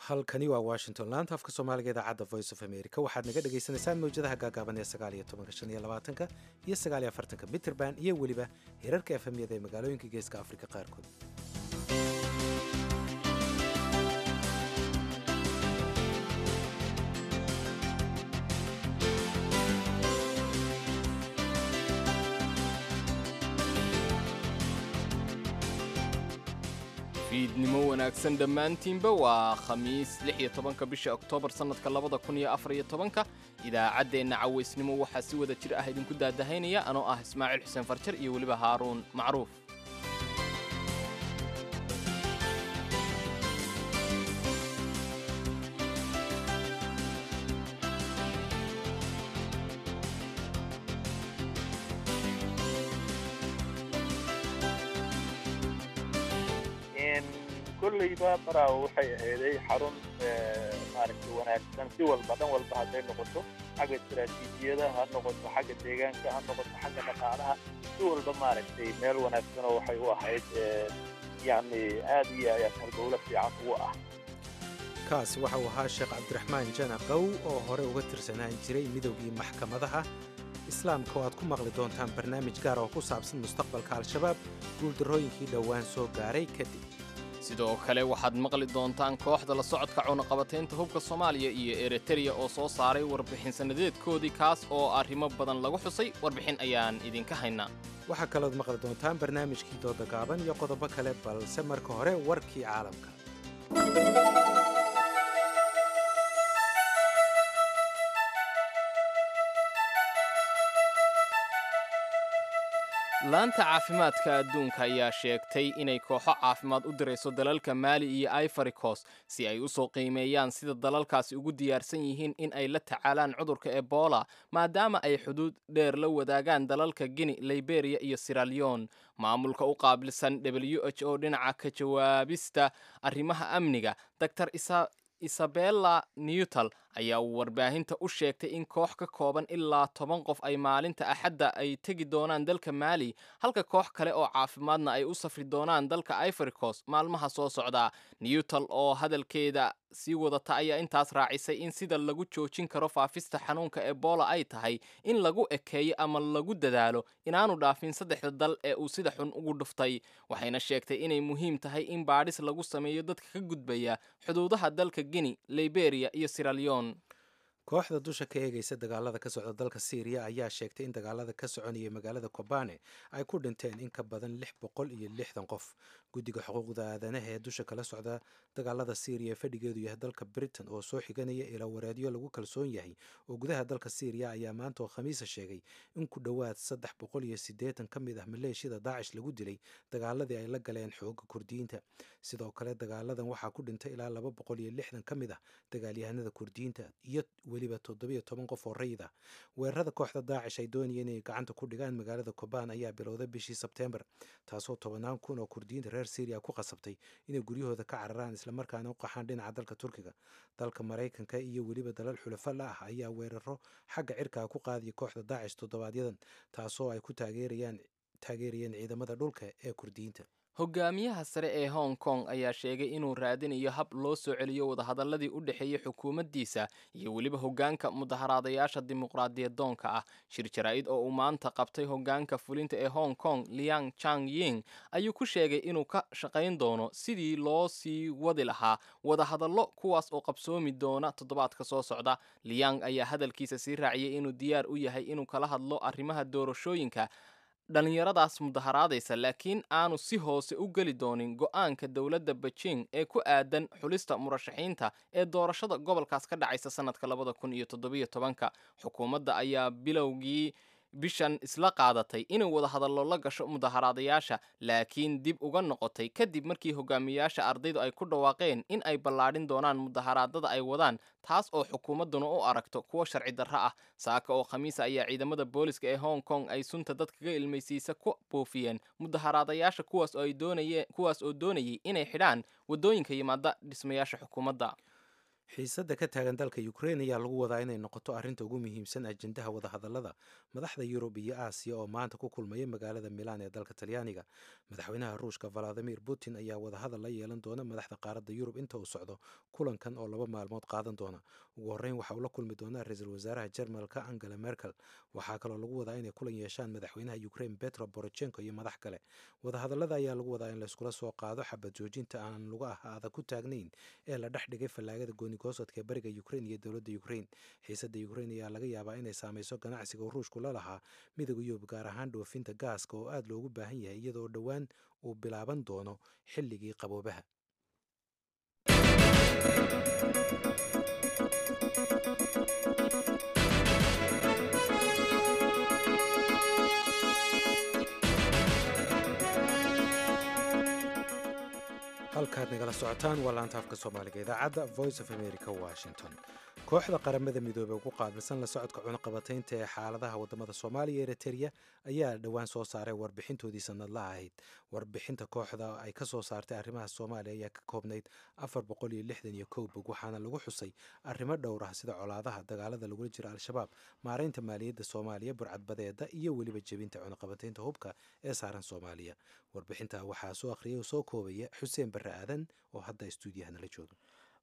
Halkani waa Washington, laanta afka Soomaaliga, idaacadda Voice of America. Waxaad naga dhagaysanaysaan mawjadaha gaagaaban ee 19-ka, 25-ka iyo 49-ka mitrband iyo weliba hirarka FM-yada ee magaalooyinka Geeska Afrika qaarkood. Fiidnimo wanaagsan dhammaantiinba. Waa Khamiis, 16-ka bisha Oktoobar, sannadka 2014-ka. Idaacaddeenna cawaysnimo waxaa si wada jir ah idinku daadahaynaya anoo ah Ismaaciil Xuseen Farjar iyo weliba Haaruun Macruuf. Kolleyba Baraawo waxay aheeday xarun maaragtay wanaagsan si walba, dhan walba hadday noqoto, xagga istaraatiijiyada ha noqoto, xagga deegaanka ha noqoto, xagga dhaqaalaha, si walba maaragtay meel wanaagsanoo waxay u ahayd, yacni aad iyo aad halbowlo fiican ugu ah. Kaasi waxa uu ahaa Sheekh Cabdiraxmaan Jana Qow oo hore uga tirsanaan jiray Midoogii Maxkamadaha Islaamka, oo aad ku maqli doontaan barnaamij gaar oo ku saabsan mustaqbalka Al-Shabaab guuldarrooyinkii dhowaan soo gaaray kadib. Sidoo kale waxaad maqli doontaan kooxda la socodka cunaqabataynta hubka Soomaaliya iyo Eritreya oo soo saaray warbixin sannadeedkoodii, kaas oo arrimo badan lagu xusay. Warbixin ayaan idinka haynaa. Waxaa kalood maqli doontaan barnaamijkii dooda gaaban iyo qodobo kale, balse marka hore warkii caalamka. Laanta caafimaadka adduunka ayaa sheegtay inay kooxo caafimaad u dirayso dalalka Maali iyo Ivory Coast si ay u soo qiimeeyaan sida dalalkaasi ugu diyaarsan yihiin in ay la tacaalaan cudurka Ebola, maadaama ay xuduud dheer la wadaagaan dalalka Guinea, Liberia iyo Sierra Leone. Maamulka u qaabilsan WHO dhinaca ka jawaabista arrimaha amniga, Dr Isabella Newtal, ayaa warbaahinta u sheegtay in koox ka kooban ilaa 10 qof ay maalinta Axadda ay tegi doonaan dalka Maali, halka koox kale oo caafimaadna ay u safri doonaan dalka Ivory Coast maalmaha soo socda. Newtal oo hadalkeeda sii wadata ayaa intaas raacisay in sida lagu joojin karo faafista xanuunka Ebola ay tahay in lagu ekeeyo ama lagu dadaalo inaanu dhaafin saddexda dal ee uu sida xun ugu dhuftay. Waxayna sheegtay inay muhiim tahay in baadhis lagu sameeyo dadka ka gudbaya xuduudaha dalka Guinea, Liberia iyo Sierra Leone. Kooxda dusha ka eegaysa dagaalada ka socda dalka Siiriya ayaa sheegtay in dagaalada ka soconaya magaalada Kobane ay ku dhinteen in ka badan 660 qof. Guddiga xuquuqda aadanaha ee dusha kala socda dagaalada Siiriya ee fadhigeedu yahay dalka Britain, oo soo xiganaya ilaa wareedyo lagu kalsoon yahay oo gudaha dalka Siiriya, ayaa maanta oo Khamiisa sheegay in ku dhowaad 380 ka mid ah maleeshiyada Daacish lagu dilay dagaaladii ay la galeen xooga Kurdiyiinta. Sidoo kale dagaaladan waxaa ku dhintay ilaa 260 ka mid ah dagaalyahanada Kurdiyiinta iyo weliba 17 qof oo rayid ah. Weerarada kooxda Daacish ay doonayeen inay gacanta ku dhigaan magaalada Kobaan ayaa bilowday bishii Sebteembar, taasoo tobanaan kun oo Kurdiyiinta reer Syriya ku qasabtay inay guryahooda ka cararaan, islamarkaana u qaxaan dhinaca dalka Turkiga. Dalka Maraykanka iyo weliba dalal xulafo la ah ayaa weeraro xagga cirkaa ku qaadaya kooxda Daacish toddobaadyadan, taasoo ay ku taageerayaan taageerayeen ciidamada dhulka ee Kurdiyiinta. Hogaamiyaha sare ee Hong Kong ayaa sheegay inuu raadinayo hab loo soo celiyo wadahadalladii u dhexeeyey xukuumaddiisa iyo weliba hoggaanka mudaharaadayaasha dimuqraadiyadoonka ah. Shir jaraa'id oo uu maanta qabtay hoggaanka fulinta ee Hong Kong, Liang Chang Ying, ayuu ku sheegay inuu ka shaqayn doono sidii loo sii wadi lahaa wadahadallo, kuwaas oo qabsoomi doona toddobaadka soo socda. Liang ayaa hadalkiisa sii raaciyey inuu diyaar u yahay inuu kala hadlo arrimaha doorashooyinka dhallinyaradaas mudaharaadaysa, laakiin aanu si hoose u geli doonin go'aanka dowladda Beijing ee ku aadan xulista murashaxiinta ee doorashada gobolkaas ka dhacaysa sannadka 2017-ka. Xukuumadda ayaa bilowgii bishan isla qaadatay inay wadahadallo la gasho mudaharaadayaasha, laakiin dib uga noqotay kadib markii hogaamiyayaasha ardaydu ay ku dhawaaqeen in ay ballaadhin doonaan mudaharaadada ay wadaan, taas oo xukuumadduna u aragto kuwo sharci darro ah. Saaka oo Khamiisa ayaa ciidamada booliska ee Hong Kong ay sunta dadkaga ilmaysiisa ku buufiyeen mudaharaadayaasha, kuwaas oo ay doonayeen kuwaas oo doonayay inay xidhaan waddooyinka yimaada dhismayaasha xukuumadda. Xiisadda ka taagan dalka Ukrein ayaa lagu wadaa inay noqoto arrinta ugu muhiimsan ajendaha wadahadallada madaxda Yurub iyo Aasiya oo maanta ku kulmaya magaalada Milaan ee dalka Talyaaniga. Madaxweynaha Ruushka Valadimir Putin ayaa wadahadal la yeelan doona madaxda qaaradda Yurub inta uu socdo kulankan oo 2 maalmood qaadan doona. Ugu horreyn waxa uu la kulmi doonaa ra-iisul wasaaraha Jarmalka Angela Merkel. Waxaa kaloo lagu wadaa inay kulan yeeshaan madaxweynaha Ukrein Petro Poroshenko iyo madax kale. Wadahadallada ayaa lagu wadaa in layskula soo qaado xabad joojinta aan lugaha adag ku taagnayn ee la dhex dhigay fallaagada goonigosadka ee bariga Ukrein iyo dowladda Ukrein. Xiisadda Ukrein ayaa laga yaabaa inay saameyso ganacsiga Ruushku la lahaa Midowga Yurub, gaar ahaan dhoofinta gaaska oo aad loogu baahan yahay, iyadoo dhowaan uu bilaaban doono xilligii qaboobaha. Halkaad nagala socotaan waa laanta afka Soomaaliga, idaacadda Voice of America, Washington. Kooxda Qaramada Midoobey ugu qaabilsan la socodka cunaqabataynta ee xaaladaha wadamada Soomaaliya iyo Eritrea ayaa dhowaan soo saaray warbixintoodii sanadlaha ahayd. Warbixinta kooxda ay ka soo saartay arrimaha Soomaaliya ayaa ka koobnayd 461 bog, waxaana lagu xusay arrimo dhowr ah, sida colaadaha, dagaalada lagula jira Al-Shabaab, maareynta maaliyadda Soomaaliya, burcadbadeeda iyo weliba jebinta cunaqabataynta hubka ee saaran Soomaaliya. Warbixinta waxaa soo akhriyay oo soo koobaya Xuseen Barre Aadan oo hadda istuudiyaha nala jooga.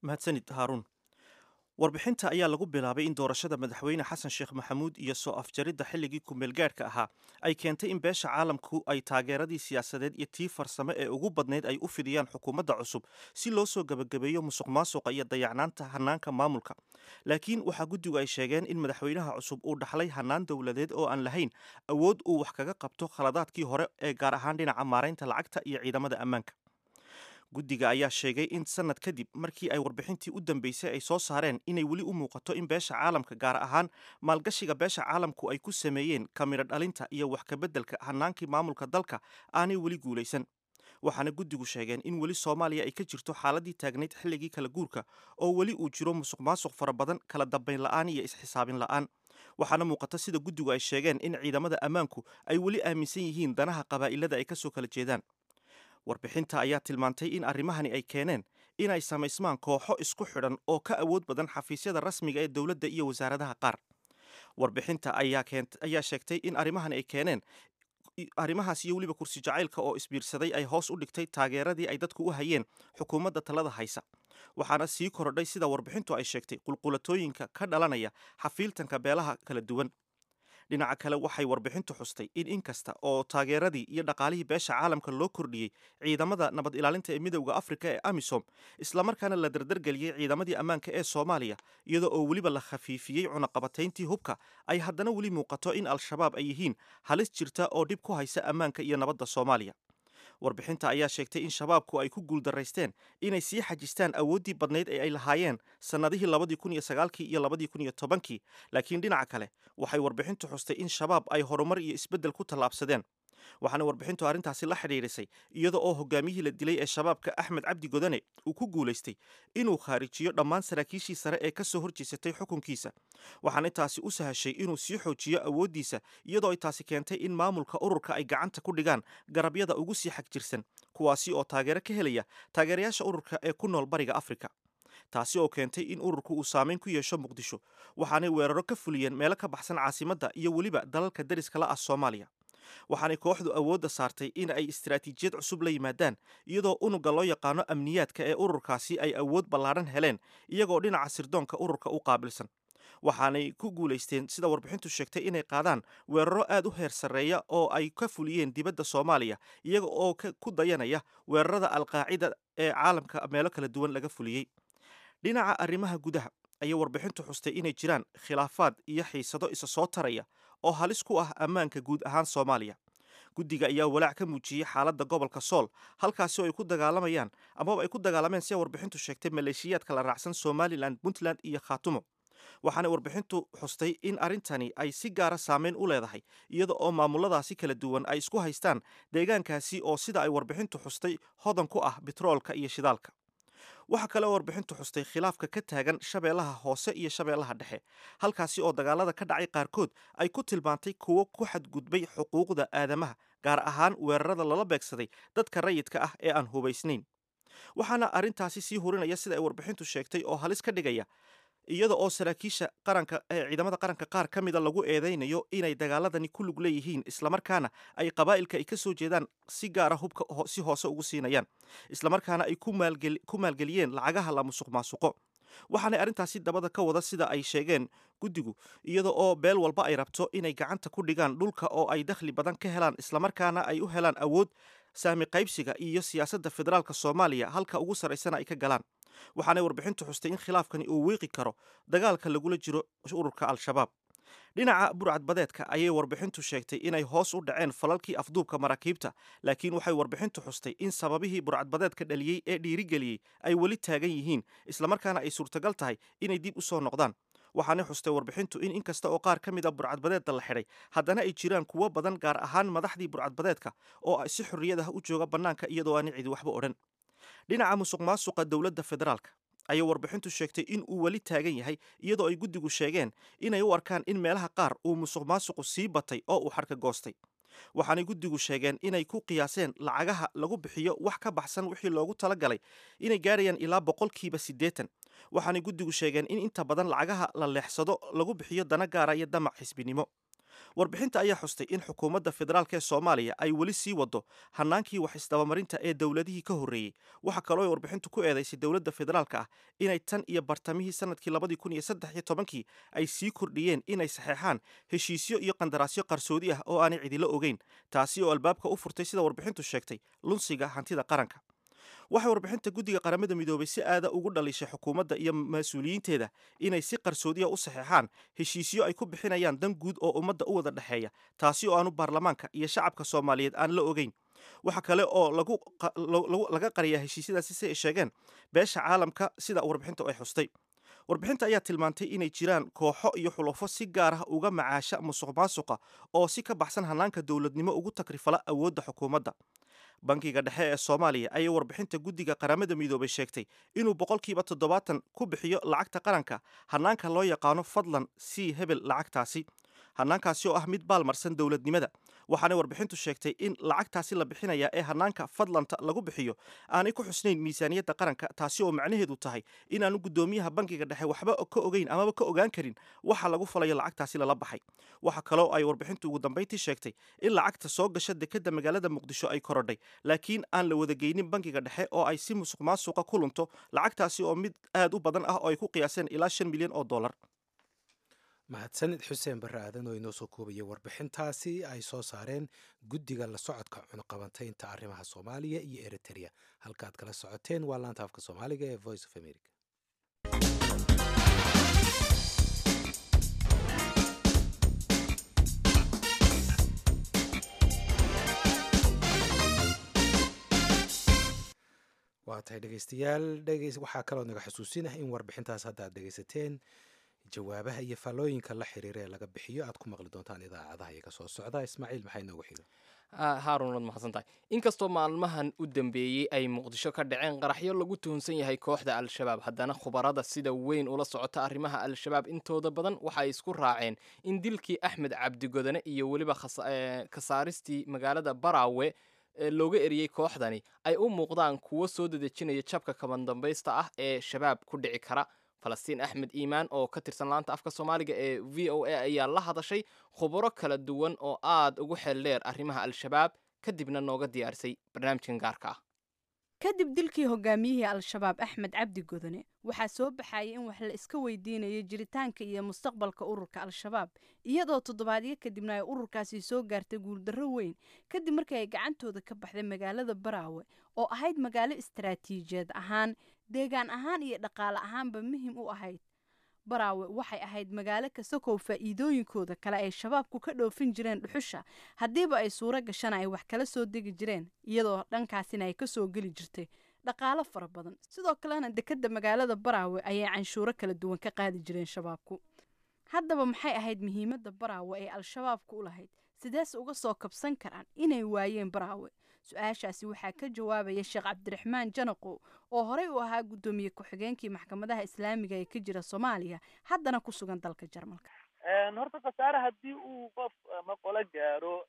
Mahadsanid, Haaruun. Warbixinta ayaa lagu bilaabay in doorashada Madaxweyne Xasan Sheekh Maxamuud iyo soo afjaridda xilligii kumeelgaadhka ahaa ay keentay in beesha caalamku ay taageeradii siyaasadeed iyo tii farsame ee ugu badnayd ay u fidiyaan xukuumadda cusub si loo soo gebagabeeyo musuq maasuqa iyo dayacnaanta hanaanka maamulka. Laakiin waxaa guddigu ay sheegeen in madaxweynaha cusub uu dhaxlay hanaan dowladeed oo aan lahayn awood uu wax kaga qabto khaladaadkii hore ee gaar ahaan dhinaca maaraynta lacagta iyo ciidamada ammaanka. Guddiga ayaa sheegay in sanad kadib markii ay warbixintii u dambeysay ay soo saareen inay weli u muuqato in beesha caalamka, gaar ahaan maalgashiga beesha caalamku ay ku sameeyeen kamiro dhalinta iyo wax kabeddelka hanaankii maamulka dalka, aanay weli guulaysan. Waxaana guddigu sheegeen in weli Soomaaliya ay ka jirto xaaladii taagnayd xilligii kala guurka, oo weli uu jiro musuq maasuq fara badan, kala dambayn la'aan iyo isxisaabin la'aan. Waxaana muuqata, sida guddigu ay sheegeen, in ciidamada ammaanku ay weli aaminsan yihiin danaha qabaa'ilada ay kasoo kala jeedaan. Warbixinta ayaa tilmaantay in arrimahani ay keeneen inay samaysmaan kooxo isku xidhan oo ka awood badan xafiisyada rasmiga ee dowladda iyo wasaaradaha qaar. Warbixinta ayaa sheegtay in arrimahani ay keeneen arrimahaas iyo weliba kursi jacaylka oo isbiirsaday ay hoos u dhigtay taageeradii ay dadku u hayeen xukuumadda talada haysa. Waxaana sii korodhay, sida warbixintu ay sheegtay, qulqulatooyinka ka dhalanaya xafiiltanka beelaha kala duwan. Dhinaca kale, waxay warbixintu xustay in inkasta oo taageeradii iyo dhaqaalihii beesha caalamka loo kordhiyey ciidamada nabad ilaalinta ee Midowda Afrika ee AMISOM, islamarkaana la dardargeliyey ciidamadii ammaanka ee Soomaaliya, iyadoo oo weliba la khafiifiyey cunaqabatayntii hubka, ay haddana weli muuqato in Al-Shabaab ay yihiin halis jirta oo dhib ku haysa ammaanka iyo nabadda Soomaaliya. Warbixinta ayaa sheegtay in Shabaabku ay ku guuldaraysteen inay sii xajistaan awooddii badnayd ee ay lahaayeen sannadihii 2009-kii iyo 2010-kii. Laakiin dhinaca kale, waxay warbixintu xustay in Shabaab ay horumar iyo isbeddel ku tallaabsadeen. Waxaana warbixintu arrintaasi la xidhiidhisay iyada oo hogaamiyihii la dilay ee Shabaabka, Axmed Cabdi Godane, uu ku guulaystay inuu khaarijiyo dhammaan saraakiishii sare ee ka soo horjeesatay xukunkiisa. Waxaana taasi u sahashay inuu sii xoojiyo awooddiisa, iyadoo ay taasi keentay in maamulka ururka ay gacanta ku dhigaan garabyada ugu sii xagjirsan, kuwaasi oo taageero ka helaya taageerayaasha ururka ee ku nool Bariga Afrika, taasi oo keentay in ururku uu saameyn ku yeesho Muqdisho. Waxaanay weeraro ka fuliyeen meelo ka baxsan caasimadda iyo weliba dalalka deriska la ah Soomaaliya. Waxaanay kooxdu awoodda saartay in ay istaraatiijiyad cusub la yimaadaan, iyadoo unugga loo yaqaano amniyaadka ee ururkaasi ay awood ballaadhan heleen, iyagoo dhinaca sirdoonka ururka u qaabilsan. Waxaanay ku guulaysteen, sida warbixintu sheegtay, inay qaadaan weeraro aad u heer sarreeya oo ay ka fuliyeen dibadda Soomaaliya, iyaga oo ku dayanaya weerarada Alqaacida ee caalamka meelo kala duwan laga fuliyey. Dhinaca arrimaha gudaha ayay warbixintu xustay inay jiraan khilaafaad iyo xiisado isa soo taraya oo halis ku ah ammaanka guud ahaan Soomaaliya. Guddiga ayaa walaac ka muujiyey xaaladda gobolka Sool, halkaasi oo ay ku dagaalamayaan amaba ay ku dagaalameen, sida warbixintu sheegtay, maleeshiyaadka la raacsan Somalilan, Puntland iyo Khaatumo. Waxaana warbixintu xustay in arrintani ay si gaara saameyn u leedahay, iyada oo maamuladaasi kala duwan ay isku haystaan deegaankaasi oo, sida ay warbixintu xustay, hodan ku ah bitroolka iyo shidaalka. Waxaa kale oo warbixintu xustay khilaafka ka taagan Shabeellaha Hoose iyo Shabeellaha Dhexe, halkaasi oo dagaalada ka dhacay qaarkood ay ku tilmaantay kuwo ku xadgudbay xuquuqda aadamaha, gaar ahaan weerarada lala beegsaday dadka rayidka ah ee aan hubaysnayn. Waxaana arrintaasi sii hurinaya, sida ay warbixintu sheegtay, oo halis ka dhigaya iyada oo saraakiisha qaranka ee ciidamada qaranka qaar ka mida lagu eedeynayo inay dagaaladani ku lug leeyihiin, islamarkaana ay qabaa'ilka ay ka soo jeedaan si gaara hubka si hoose ugu siinayaan, islamarkaana ay ku maalgeliyeen lacagaha la musuq maasuqo. Waxaanay arrintaasi dabada ka wada, sida ay sheegeen guddigu, iyada oo beel walba ay rabto inay gacanta ku dhigaan dhulka oo ay dakhli badan ka helaan, islamarkaana ay u helaan awood saami qaybsiga iyo siyaasadda federaalka Soomaaliya halka ugu sarraysana ay ka galaan. Waxaanay warbixintu xustay in khilaafkani uu wiiqi karo dagaalka lagula jiro ururka Al-Shabaab. Dhinaca burcadbadeedka ayay warbixintu sheegtay inay hoos u dhaceen falalkii afduubka maraakiibta, laakiin waxay warbixintu xustay in sababihii burcadbadeedka dhaliyey ee dhiirigeliyey ay weli taagan yihiin, islamarkaana ay suurtagal tahay inay dib u soo noqdaan. Waxaanay xustay warbixintu in inkasta oo qaar ka mid a burcadbadeedda la xidhay, haddana ay jiraan kuwo badan, gaar ahaan madaxdii burcadbadeedka, oo si xorriyad ah u jooga bannaanka iyadoo aan cidi waxba odhan. Dhinaca musuq maasuqa dowladda federaalka ayay warbixintu sheegtay in uu weli taagan yahay, iyadoo ay guddigu sheegeen inay u arkaan in meelaha qaar uu musuq maasuqu sii batay oo uu xadhka goostay. Waxaanay guddigu sheegeen inay ku qiyaaseen lacagaha lagu bixiyo wax ka baxsan wixii loogu talagalay inay gaarayaan ilaa 80%. Waxaanay guddigu sheegeen in inta badan lacagaha la leexsado lagu bixiyo dana gaara iyo damac xisbinimo. Warbixinta ayaa xustay in xukuumadda federaalk ee Soomaaliya ay weli sii wado hanaankii wax isdabamarinta ee dowladihii ka horreeyey. Waxaa kaloo ay warbixintu ku eedaysay dowladda federaalka ah inay tan iyo bartamihii sanadkii 2013-kii ay sii kordhiyeen inay saxeexaan heshiisyo iyo qandaraasyo qarsoodi ah oo aanay cidilo ogeyn, taasi oo albaabka u furtay, sida warbixintu sheegtay, lunsiga hantida qaranka. Waxay warbixinta guddiga Qaramada Midoobay si aada ugu dhalishay xukuumadda iyo mas-uuliyiinteeda inay si qarsoodiya u saxeexaan heshiisyo ay ku bixinayaan dan guud oo ummadda u wada dhexeeya, taasi oo aanu baarlamaanka iyo shacabka Soomaaliyeed aan la ogeyn. Waxa kale oo laga qariyaa heshiisyadaasi, si ay sheegeen, beesha caalamka, sida warbixintu ay xustay. Warbixinta ayaa tilmaantay inay jiraan kooxo iyo xulufo si gaar ah uga macaasha musuq maasuqa oo si ka baxsan hanaanka dowladnimo ugu takrifala awoodda xukuumadda. Bankiga dhexe ee Soomaaliya ayay warbixinta guddiga Qaramada Midoobay sheegtay inuu 70% ku bixiyo lacagta qaranka hanaanka loo yaqaano "fadlan sii hebel lacagtaasi", hanaankaasi oo ah mid baalmarsan dowladnimada. Waxaanay warbixintu sheegtay in lacagtaasi la bixinaya ee hanaanka fadlanta lagu bixiyo aanay ku xusnayn miisaaniyadda qaranka, taasi oo macnaheedu tahay inaanu guddoomiyaha bankiga dhexe waxba ka ogeyn amaba ka ogaan karin waxa lagu falayo lacagtaasi lala baxay. Waxa kaloo ay warbixintu ugu dambayntii sheegtay in lacagta soo gasha dekadda magaalada Muqdisho ay korodhay, laakiin aan la wadageynin bankiga dhexe oo ay si musuq maasuqa ku lunto lacagtaasi oo mid aad u badan ah oo ay ku qiyaaseen ilaa 5 milyan oo dollar. Mahadsanid Xuseen Barre Aadan oo inoo soo koobaya warbixintaasi ay soo saareen guddiga la socodka cunaqabantaynta arrimaha Soomaaliya iyo Eritrea. Halkaad kala socoteen waa laanta afka Soomaaliga ee Voice of America. Waa tahay, dhegeystayaal, waxaa kaloo naga xusuusinah in warbixintaas hadda aad dhegeysateen jawaabaha iyo faallooyinka la xiriira ee laga bixiyo aad ku maqli doontaan idaacadaha iyaga soo socda. Ismaaciil, maxay noogu xiga? Haarun, waad mahadsan tahay. Inkastoo maalmahan u dambeeyey ay Muqdisho ka dhaceen qaraxyo lagu tuhunsan yahay kooxda Al-Shabaab, haddana khubarada sida weyn ula socota arrimaha Al-Shabaab intooda badan waxay isku raaceen in dilkii Axmed Cabdigodane iyo weliba kasaaristii magaalada Baraawe looga eriyey kooxdani ay u muuqdaan kuwo soo dedejinaya jabka kabandambaysta ah ee Shabaab ku dhici kara. Falastiin Axmed Iimaan oo ka tirsan laanta afka Soomaaliga ee VOA ayaa la hadashay khubaro kala duwan oo aad ugu xeel dheer arrimaha Al-Shabaab, kadibna nooga diyaarisay barnaamijkan gaarka ah. Kadib dilkii hogaamiyihii Al-Shabaab Axmed Cabdi Godone, waxaa soo baxayay in wax la iska weydiinayo jiritaanka iyo mustaqbalka ururka Al-Shabaab, iyadoo toddobaadyo kadibna ay ururkaasi soo gaartay guuldarro weyn kadib markii ay gacantooda ka baxday magaalada Baraawe oo ahayd magaalo istaraatiijiyeed ahaan, deegaan ahaan iyo dhaqaale ahaanba muhim u ahayd. Baraawe waxay ahayd magaalo kasakow faa'iidooyinkooda kale ay Shabaabku ka dhoofin jireen dhuxusha, haddiiba ay suuro gashana ay wax kala soo degi jireen, iyadoo dhankaasina ay kasoo geli jirtay dhaqaalo fara badan. Sidoo kalena dekadda magaalada Baraawe ayay canshuuro kala duwan ka qaadi jireen Shabaabku. Haddaba maxay ahayd muhiimadda Baraawe ee Al-Shabaabku u lahayd? Sidees uga soo kabsan karaan inay waayeen Baraawe? Su-aashaasi waxaa ka jawaabaya Sheekh Cabdiraxmaan Janaqo oo horey u ahaa guddoomiye ku-xigeenkii maxkamadaha islaamiga ee ka jira Soomaaliya, haddana ku sugan dalka Jarmalka. Horta khasaare haddii uu qof ama qolo gaaro,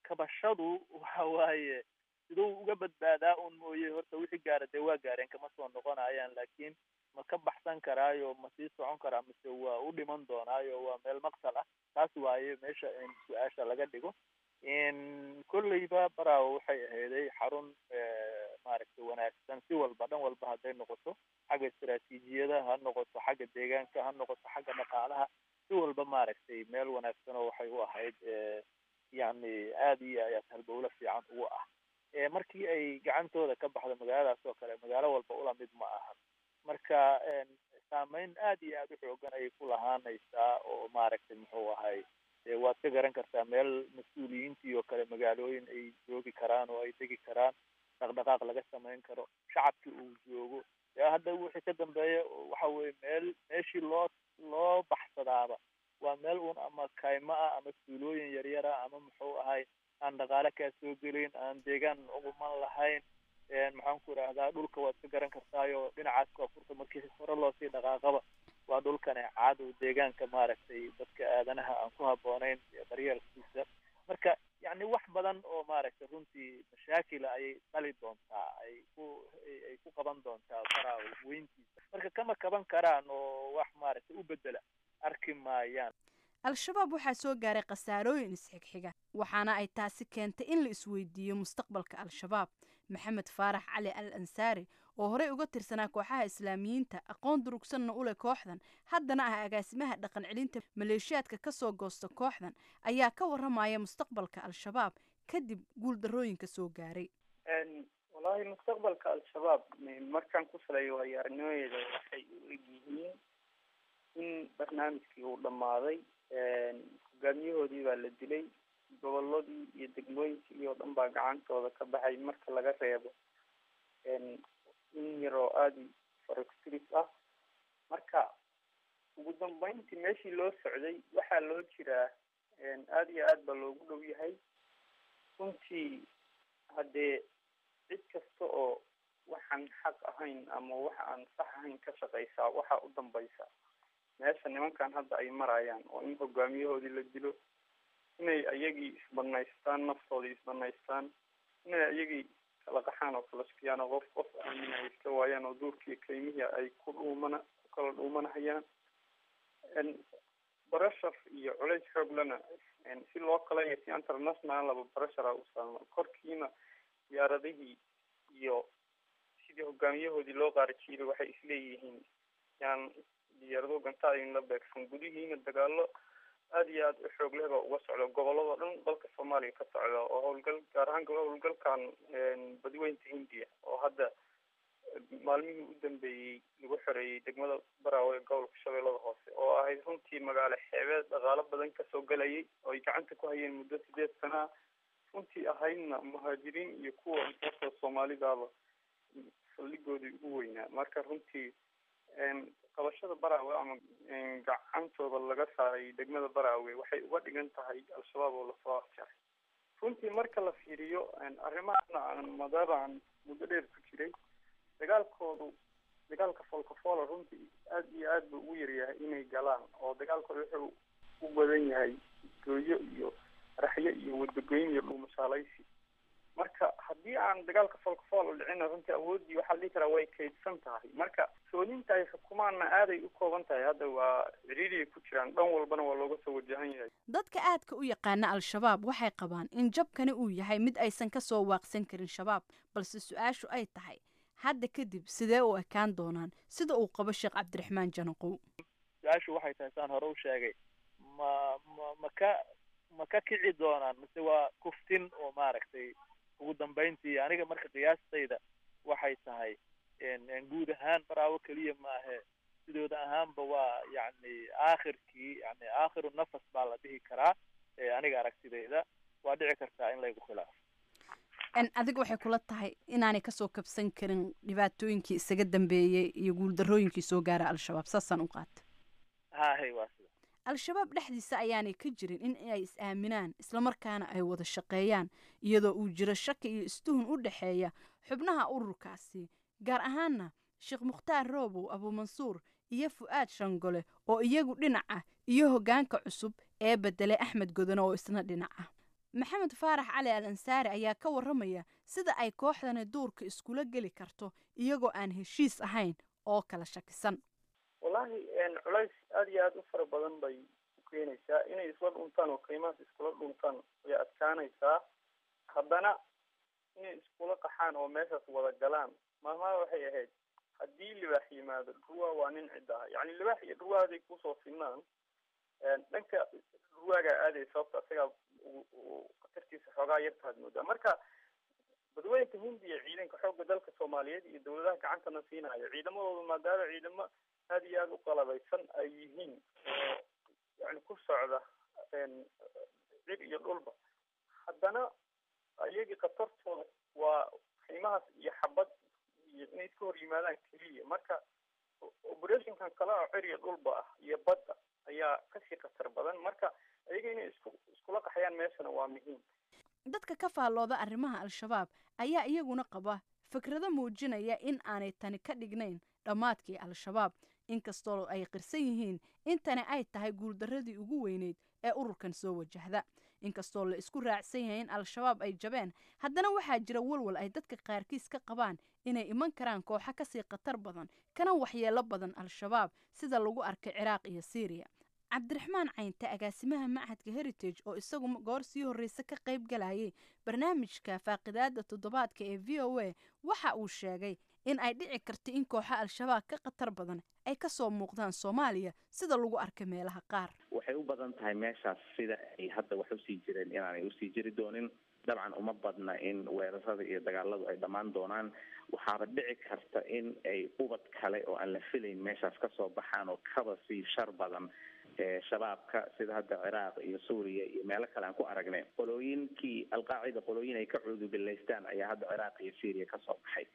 kabashadu waxa waaye Siduu uga badbaadaa un mooye, horta wixii gaara dee waa gaareen, kama soo noqonayaan, laakiin ma ka baxsan karaayo, ma sii socon karaa, mise waa u dhiman doonaayo, waa meel maqsal ah? Taas waaye meesha in su-aasha laga dhigo. Kolleyba Baraawo waxay ahayday xarun maaragtay wanaagsan si walba, dhan walba hadday noqoto, xagga istaraatiijiyada ha noqoto, xagga deegaanka ha noqoto, xagga dhaqaalaha, si walba maaragtay meel wanaagsan oo waxay u ahayd yacni aada iyo aad halbowlo fiican ugu ah. Markii ay gacantooda ka baxdo magaaladaas oo kale, magaalo walba ula mid ma ahan. Marka saameyn aad iyo aada u xoogan ayay ku lahaanaysaa oo maaragtay muxuu ahay, waad ka garan kartaa meel mas-uuliyiintii oo kale magaalooyin ay joogi karaan oo ay degi karaan, dhaqdhaqaaq laga samayn karo, shacabkii uu joogo. Hadda wixii ka dambeeya waxa weye meel meeshii loo baxsadaaba waa meel uun ama kaymo ah ama tuulooyin yaryara ama muxuu ahay aan dhaqaale kaa soo gelin, aan deegaan uguman lahayn. Maxaan ku idhaahdaa, dhulka waad ka garan kartaayo dhinacaas koonfurta markii hore loosii dhaqaaqaba waa dhulkane caado deegaanka maaragtay dadka aadanaha aan ku habboonayn daryeelkiisa. Marka yacni wax badan oo maaragtay runtii mashaakila ayay dhali doontaa, ay ku qaban doontaa Baraawe weyntiisa. Marka kama kaban karaan oo wax maaragtay u bedela arki maayaan. Al-Shabaab waxaa soo gaaray khasaarooyin isxigxiga, waxaana ay taasi keentay in la isweydiiyo mustaqbalka Al-Shabaab. Maxamed Faarax Cali Al Ansaari, oo horey uga tirsanaa kooxaha Islaamiyiinta, aqoon durugsanna u leh kooxdan, haddana ah agaasimaha dhaqan celinta maleeshiyaadka ka soo goosta kooxdan, ayaa ka waramaya mustaqbalka Al-Shabaab kadib guuldarrooyinka soo gaaray. Wallaahi, mustaqbalka Al-Shabaab markaan ku saleeyo waayo aragnimadeeda, waxay u egyihiin in barnaamijkii uu dhammaaday. Hogaamiyahoodii baa la dilay, goboladii iyo degmooyinkii oo dhan baa gacantooda ka baxay, marka laga reebo in yar oo aada farogtiris ah. Marka ugu dambeyntii meeshii loo socday waxaa loo jiraa, aada iyo aad baa loogu dhow yahay runtii. Haddee cid kasta oo waxaan xaq ahayn ama wax aan sax ahayn ka shaqeysaa, waxaa u dambaysa meesha nimankan hadda ay marayaan, oo in hogaamiyahoodii la dilo, inay ayagii isbanaystaan, naftoodii isbanaystaan, inay ayagii kala qaxaan oo kala shakiyaan, oo qof qof aamin ay iska waayaan, oo duurkii kaymihii ay ku dhuumana ku kala dhuumanahayaan. Pressure iyo culays xoog lana si loo kala iyo si international laba pressure u saarno korkiina, diyaaradihii iyo sidii hogaamiyahoodii loo qaarijiilay waxay isleeyihiin yaan diyaarado gantaa in la beegsan. Gudihiina dagaalo aada iyo aada u xoog leh baa uga socda gobolladoo dhan dalka Soomaaliya ka socda, oo howlgal, gaar ahaan howlgalkan Badweynta Hindiya oo hadda maalmihii u dambeeyey lagu xoreeyey degmada Baraawe ee gobolka Shabeellada Hoose, oo ahayd runtii magaalo xeebeed dhaqaalo badan kasoo galayay oo ay gacanta ku hayeen muddo 8 sana ah, runtii ahaydna muhaajiriin iyo kuwa intaasoo Soomaalidaaba saldhigoodii ugu weynaa. Marka runtii qabashada Baraawe ama gacantooda laga saaray degmada Baraawe waxay uga dhigan tahay Al-Shabaab oo lasoo afjaray runtii. Marka la fiiriyo arrimahana aan maadaama aan muddo dheer ku jiray, dagaalkoodu dagaalka folkafoola runtii aada iyo aad buu ugu yaryahay inay galaan, oo dagaalkooda wuxuu u badan yahay gooyo iyo raxyo iyo wadagoyn iyo dhuumashaalaysi. Marka haddii aan dagaalka folkafool dhicina, runtii awooddii waxaa la dhihi karaa way kaydsan tahay. Marka sooninta ay xukumaanna aaday u kooban tahay. Hadda waa ciriiriyay ku jiraan, dhan walbana waa looga soo wajahan yahay. Dadka aadka u yaqaana Al-Shabaab waxay qabaan in jabkani uu yahay mid aysan ka soo waaqsan karin Shabaab, balse su-aashu ay tahay hadda kadib sidee u ekaan doonaan, sida uu qabo Sheekh Cabdiraxmaan Janaqow. Su-aashu waxay tahay, saan hore u sheegay, ma ka kici doonaan mise waa kuftin oo maaragtay ugu dambeyntii? Aniga marka qiyaastayda waxay tahay guud ahaan Baraawo keliya ma ahe, sidooda ahaanba waa yacni aakhirkii, yani aakhiru nafas baa la dhihi karaa. Aniga aragtidayda waa dhici kartaa in laygu khilaafo. Adiga waxay kula tahay inaanay kasoo kabsan karin dhibaatooyinkii isaga dambeeyey iyo guuldarrooyinkii soo gaara Al-Shabaab, saasaan u qaata? Hahay, waa sida. Al-Shabaab dhexdiisa ayaanay ka jirin in ay is-aaminaan islamarkaana ay wada shaqeeyaan, iyadoo uu jiro shaki iyo istuhun u dhexeeya xubnaha ururkaasi, gaar ahaana Sheekh Mukhtaar Roobow Abuumansuur iyo Fu'aad Shangole oo iyagu dhinac ah, iyo hoggaanka cusub ee beddelay Axmed Godone oo isna dhinac ah. Maxamed Faarax Cali Al Ansaari ayaa ka warramaya sida ay kooxdani duurka iskula geli karto iyagoo aan heshiis ahayn oo kala shakisan. Wallaahi, culays aada iyo aada u fara badan bay u keenaysaa. Inay isla dhuntaan oo kaymahaas iskula dhuntaan way adkaanaysaa. Haddana inay iskula qaxaan oo meeshaas wada galaan, maalmaha waxay ahayd haddii libaax yimaado dhurwaa waa nin cidda ah, yacni libaax iyo dhurwaa haday kusoo sinaan, dhanka dhurwaagaa aaday, sababta isagaa khatartiisa xoogaa yartaad moodaa. Marka Badweynta Hindiya ciidanka xoogga dalka Soomaaliyeed iyo dawladaha gacantana siinayo ciidamadooda, maadaama ciidamo aada iyo aada u qalabaysan ay yihiin oo yani ku socda cir iyo dhulba, haddana iyagii khatartooda waa qiimahaas iyo xabad iyo inay iska hor yimaadaan keliya. Marka operationkan kale oo cir iyo dhulba ah iyo badda ayaa kasii khatar badan. Marka iyaga inay iskula qaxyaan meeshana waa muhiim. Dadka ka faallooda arrimaha Al-Shabaab ayaa iyaguna qaba fikrado muujinaya in aanay tani ka dhignayn dhammaadkii Al-Shabaab, inkastoo ay qirsan yihiin in tani ay tahay guuldarradii ugu weyneyd ee ururkan soo wajahda. Inkastoo la isku raacsan yahay in Al-Shabaab ay jabeen, haddana waxaa jira walwal ay dadka qaarkiis ka qabaan inay iman karaan kooxo kasii khatar badan kana waxyeelo badan Al-Shabaab, sida lagu arkay Ciraaq iyo Siiriya. Cabdiraxmaan Caynte, agaasimaha Machadka Heritage, oo isagu goor sii horreysa ka qayb galayay barnaamijka faaqidaada toddobaadka ee VOA, waxa uu sheegay in ay dhici karto in kooxo Al-Shabaab ka khatar badan ay kasoo muuqdaan Soomaaliya, sida lagu arkay meelaha qaar. Waxay u badan tahay meeshaas sida ay hadda wax usii jireen inaanay usii jiri doonin. Dabcan uma badna in weerarada iyo dagaaladu ay dhammaan doonaan. Waxaaba dhici karta in ay ubad kale oo aan la filayn meeshaas kasoo baxaan oo kaba sii shar badan Shabaabka, sida hadda Ciraaq iyo Suuriya iyo meelo kale aan ku aragnay. Qolooyinkii Alqaacida, qolooyin ay ka cuudubilaystaan ayaa hadda Ciraaq iyo Syriya kasoo baxay.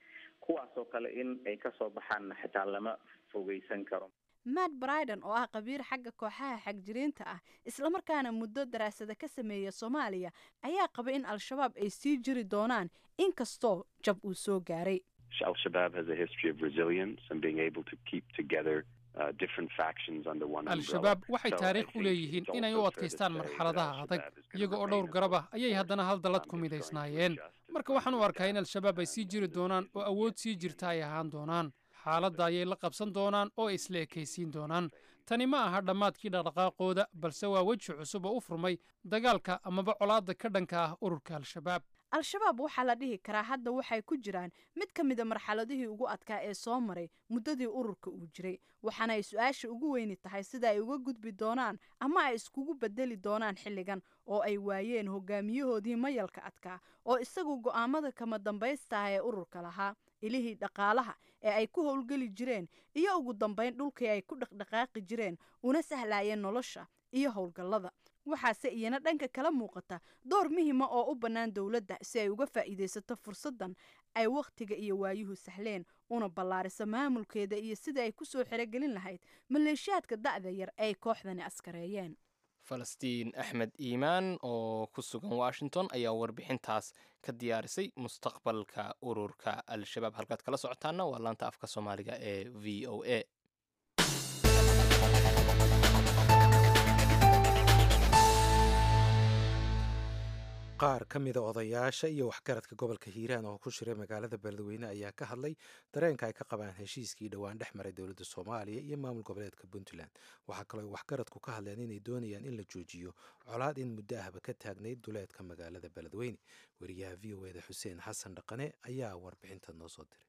Kuwaasoo kale in ay kasoo baxaanna xitaa lama fogeysan karo. Matt Bryden, oo ah khabiir xagga kooxaha xagjiriinta ah islamarkaana muddo daraasada ka sameeya Soomaaliya, ayaa qaba in Al-Shabaab ay sii jiri doonaan inkastoo jab uu soo gaaray. Al-Shabaab has a history of resilience and being able to keep together. Al-Shabaab waxay taariikh u leeyihiin inay u adkaystaan marxaladaha adag. Iyaga oo dhowr garab ah ayay haddana hal dallad ku midaysnaayeen. Marka waxaan u arkaa in Al-Shabaab ay sii jiri doonaan oo awood sii jirta ay ahaan doonaan. Xaaladda ayay la qabsan doonaan oo isla ekaysiin doonaan. Tani ma aha dhammaadkii dhaqdhaqaaqooda, balse waa weji cusub oo u furmay dagaalka amaba colaadda ka dhanka ah ururka Al-Shabaab. Al-Shabaab waxaa la dhihi karaa hadda waxay ku jiraan mid ka mida marxaladihii ugu adkaa ee soo maray muddadii ururka uu jiray, waxaana ay su-aasha ugu weyni tahay sida ay uga gudbi doonaan ama ay iskugu bedeli doonaan xilligan oo ay waayeen hogaamiyahoodii mayalka adkaa oo isagu go'aamada kama dambaysta ah ee ururka lahaa, ilihii dhaqaalaha ee ay ku howlgeli jireen iyo ugu dambayn dhulkii ay ku dhaqdhaqaaqi jireen una sahlaayeen nolosha iyo howlgallada. Waxaase iyana dhanka kala muuqata door muhima oo u bannaan dowladda si ay uga faa'iidaysato fursaddan ay wakhtiga iyo waayuhu sahleen, una ballaariso maamulkeeda iyo sida ay kusoo xerogelin lahayd maleeshiyaadka da'da yar ay kooxdani askareeyeen. Falastiin Axmed Iimaan oo ku sugan Washington ayaa warbixintaas ka diyaarisay mustaqbalka ururka Al-Shabaab. Halkaad kala socotaana waa laanta afka Soomaaliga ee VOA. Qaar ka mida odayaasha iyo waxgaradka gobolka Hiiraan oo ku shiray magaalada Beledweyne ayaa ka hadlay dareenka ay ka qabaan heshiiskii dhowaan dhex maray dowladda Soomaaliya iyo maamul goboleedka Puntland. Waxaa kaloo ay waxgaradku ka hadleen inay doonayaan in la joojiyo colaad in muddo ahba ka taagnayd duleedka magaalada Beledweyne. Wariyaha VOA-da Xuseen Xasan Dhaqane ayaa warbixinta noo soo diray.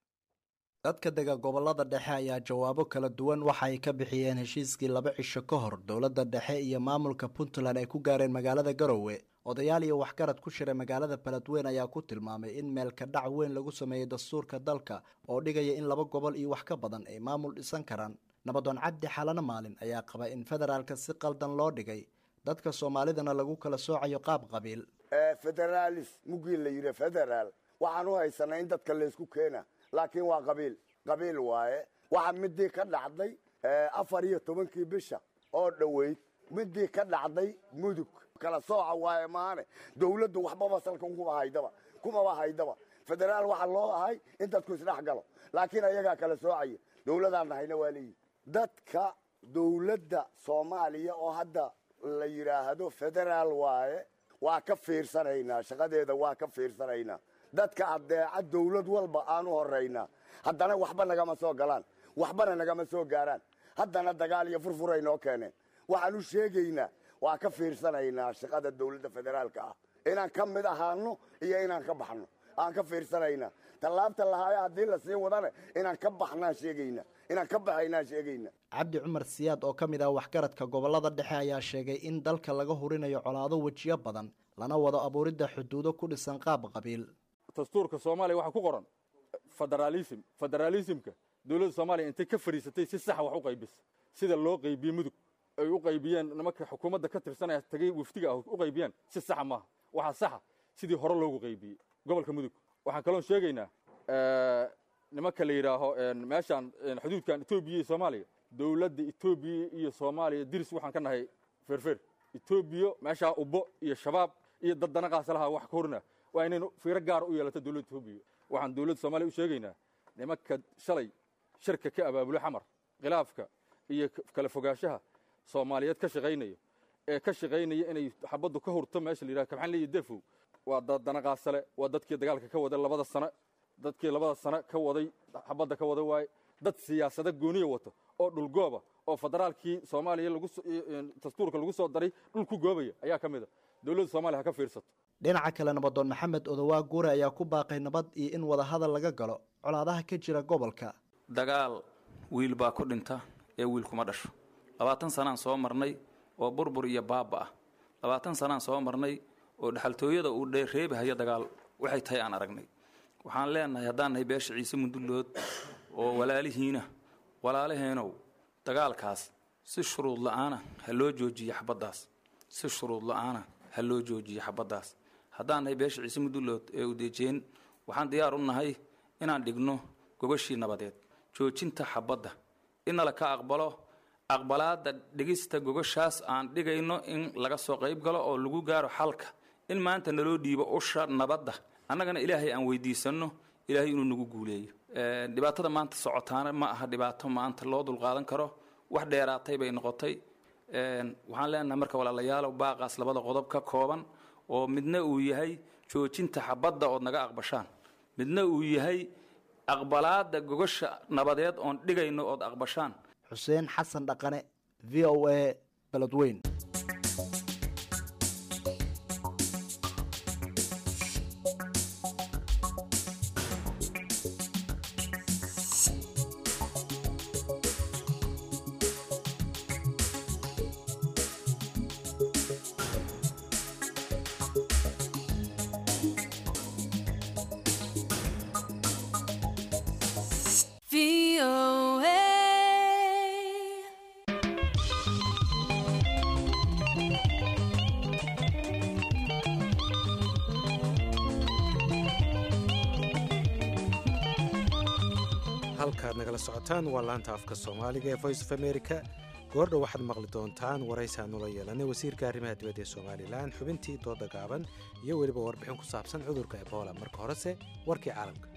Dadka dega gobolada dhexe ayaa jawaabo kala duwan waxa ay ka bixiyeen heshiiskii 2 cisho ka hor dowladda dhexe iyo maamulka Puntland ay ku gaareen magaalada Garowe. Odayaal iyo waxgarad ku shiray magaalada Beledweyne ayaa ku tilmaamay in meelka dhac weyn lagu sameeyey dastuurka dalka oo dhigaya in 2 gobol iyo wax ka badan ay maamul dhisan karaan. Nabadoon Cabdi Xalano Maalin ayaa qaba in federaalka si qaldan loo dhigay, dadka Soomaalidana lagu kala soocayo qaab qabiil. Federaalis mugii la yidhi federaal waxaan u haysanaa in dadka laysku keena, laakiin waa qabiil qabiil waaye. Waxa midii ka dhacday 14-kii bisha oo dhoweyd, midii ka dhacday Mudug kala sooca waaye maane dawladdu waxbaba salka kumaba haydaba. Federaal waxa loo ahay in dadku isdhex galo, laakiin ayagaa kala soocaya. Dawladaan nahayna waa leeyihi dadka dawladda Soomaaliya oo hadda la yidhaahdo federaal waaye. Waa ka fiirsanaynaa shaqadeeda, waa ka fiirsanaynaa. Dadka addeeca dawlad walba aanu horaynaa, haddana waxba nagama soo galaan, waxbana nagama soo gaaraan. Haddana dagaal iyo furfuray noo keeneen. Waxaan u sheegaynaa, waa ka fiirsanaynaa shaqada dawladda federaalka ah, inaan ka mid ahaano iyo inaan ka baxno aan ka fiirsanaynaa. Tallaabta lahaaya haddii lasii wadana, inaan ka baxnaan sheegaynaa, inaan ka baxaynaan sheegayna. Cabdi Cumar Siyaad oo ka mid ah waxgaradka gobolada dhexe ayaa sheegay in dalka laga hurinayo colaado wejiyo badan, lana wado abuuridda xuduudo ku dhisan qaab qabiil. Dastuurka Soomaaliya waxaa ku qoran federaalism. Federaalismka dowladda Soomaaliya intay ka fadhiisatay si saxa wax u qaybisa, sida loo qaybiyey Mudug ay u qaybiyeen nimanka xukuumadda ka tirsanaya tagay wafdiga ah u qaybiyeen si saxa maaha. Waxaa saxa sidii hore loogu qaybiyey gobolka Mudug. Waxaan kaloon sheegaynaa nimanka la yidhaaho meeshaan xuduudkan Etoobiya iyo Soomaaliya, dowladda Etoobiya iyo Soomaaliya diris waxaan ka nahay feerfeer. Etoobiya meeshaa ubbo iyo Shabaab iyo dad danaqaasalaha wax ka horna, waa inaynu fiiro gaar u yeelato dowladda Etoobiya. Waxaan dowladda Soomaaliya u sheegaynaa nimanka shalay shirka ka abaabulo Xamar, khilaafka iyo kala fogaanshaha Soomaaliyeed ka shaqaynaya, ee ka shaqaynaya inay xabaddu ka hurto meesha la yidhaha Kabxanle iyo Defow, waa dad danaqaasale, waa dadkii dagaalka ka waday 2da sano, dadkii 2da sano ka waday xabadda ka wada waaye. Dad siyaasado gooniya wato oo dhulgooba oo federaalkii Soomaaliya lagu dastuurka lagu soo daray dhul ku goobaya ayaa ka mid a. Dowladda Soomaaliya ha ka fiirsato. Dhinaca kale, nabadoon Maxamed Odowaa Guure ayaa ku baaqay nabad iyo in wadahadal laga galo colaadaha ka jira gobolka. Dagaal wiil baa ku dhinta ee wiil kuma dhasho. 20 sanaan soo marnay oo burbur iyo baaba ah. 20 sanaan soo marnay oo dhexaltooyada uu dheereebahayo dagaal waxay tahay aan aragnay. Waxaan leenahay, haddaan nahay beesha Ciise Mundullood oo walaalihiina, walaalaheenow, dagaalkaas si shuruud la-aana ha loo joojiyo xabaddaas, si shuruud la-aana ha loo joojiyo xabaddaas. Haddaan nahay beesha Ciise Mundullood ee Udeejeen, waxaan diyaar u nahay inaan dhigno gogashii nabadeed, joojinta xabadda inala ka aqbalo, aqbalaadda dhigista gogashaas aan dhigayno in laga soo qayb galo oo lagu gaaro xalka, in maanta naloo dhiibo usha nabadda, annagana Ilaahay aan weydiisanno Ilaahay inuu nagu guuleeyo. Dhibaatada maanta socotaana ma aha dhibaato maanta loo dulqaadan karo, wax dheeraatay bay noqotay. Waxaan leenahay marka, walaalayaalow, baaqaas labada qodob ka kooban oo midna uu yahay joojinta xabadda ood naga aqbashaan, midna uu yahay aqbalaadda gogasha nabadeed oon dhigayno ood aqbashaan. Xuseen Xasan Dhaqane, VOA, Beledweyn. Halkaad nagala socotaan waa laanta afka Soomaaliga ee Voice of America. Goordhow waxaad maqli doontaan waraysi aanu la yeelanay wasiirka arrimaha dibadda ee Somaliland, xubintii dooda gaaban iyo weliba warbixin ku saabsan cudurka Ebola. Marka horese warkii caalamka.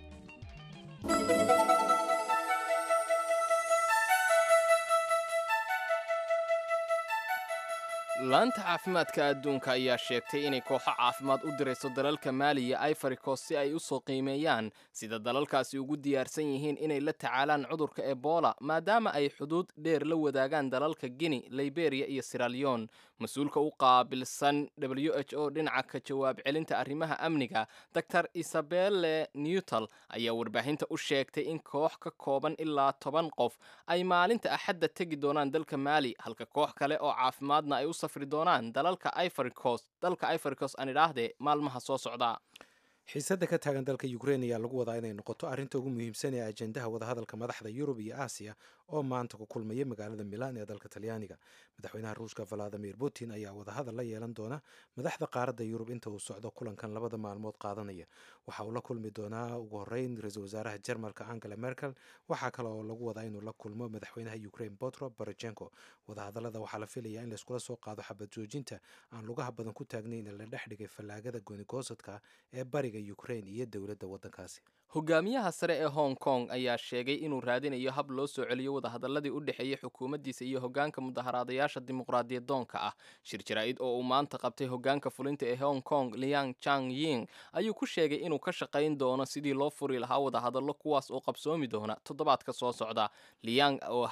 Laanta caafimaadka adduunka ayaa sheegtay inay kooxo caafimaad u dirayso dalalka Maali iyo Ivory Coast si ay u soo qiimeeyaan sida dalalkaasi ugu diyaarsan yihiin inay la tacaalaan cudurka Ebola, maadaama ay xuduud dheer la wadaagaan dalalka Guinea, Liberia iyo Sierra Leone. Mas-uulka u qaabilsan WHO dhinaca ka jawaab celinta arrimaha amniga, Dr Isabelle Newtal, ayaa warbaahinta u sheegtay in koox ka kooban ilaa 10 qof ay maalinta Axadda tegi doonaan dalka Maali, halka koox kale oo caafimaadna ay u safri doonaan dalalka Ivory Coast, dalka Ivory Coast aan idhaahdee, maalmaha soo socda. Xiisadda ka taagan dalka Ukrein ayaa lagu wadaa inay noqoto arrinta ugu muhiimsan ee ajendaha wadahadalka madaxda Yurub iyo Aasiya oo maanta ku kulmaya magaalada Milan ee dalka Talyaaniga. Madaxweynaha Ruushka Valadimir Putin ayaa wadahadal la yeelan doona madaxda qaaradda Yurub inta uu socdo kulankan 2da maalmood qaadanaya. Waxa uu la kulmi doonaa ugu horreyn ra-iisul wasaaraha Jarmalka Angela Merkel. Waxaa kale oo lagu wadaa inuu la kulmo madaxweynaha Ukrain Petro Poroshenko. Wadahadalada waxaa la filayaa in layskula soo qaado xabad joojinta aan lugaha badan ku taagnayn ee la dhex dhigay fallaagada goonigoosadka ee bariga bariga Ukraine iyo dowladda waddankaasi. Hogaamiyaha sare ee Hong Kong ayaa sheegay inuu raadinayo hab loo soo celiyo wadahadalladii u dhexeeyey xukuumaddiisa iyo hoggaanka mudaharaadayaasha dimuqraadiyadoonka ah. Shir jaraa'id oo uu maanta qabtay hoggaanka fulinta ee Hong Kong Liang Chang Ying ayuu ku sheegay inuu ka shaqayn doono sidii loo furi lahaa wadahadallo, kuwaas oo qabsoomi doona toddobaadka soo socda. Liang oo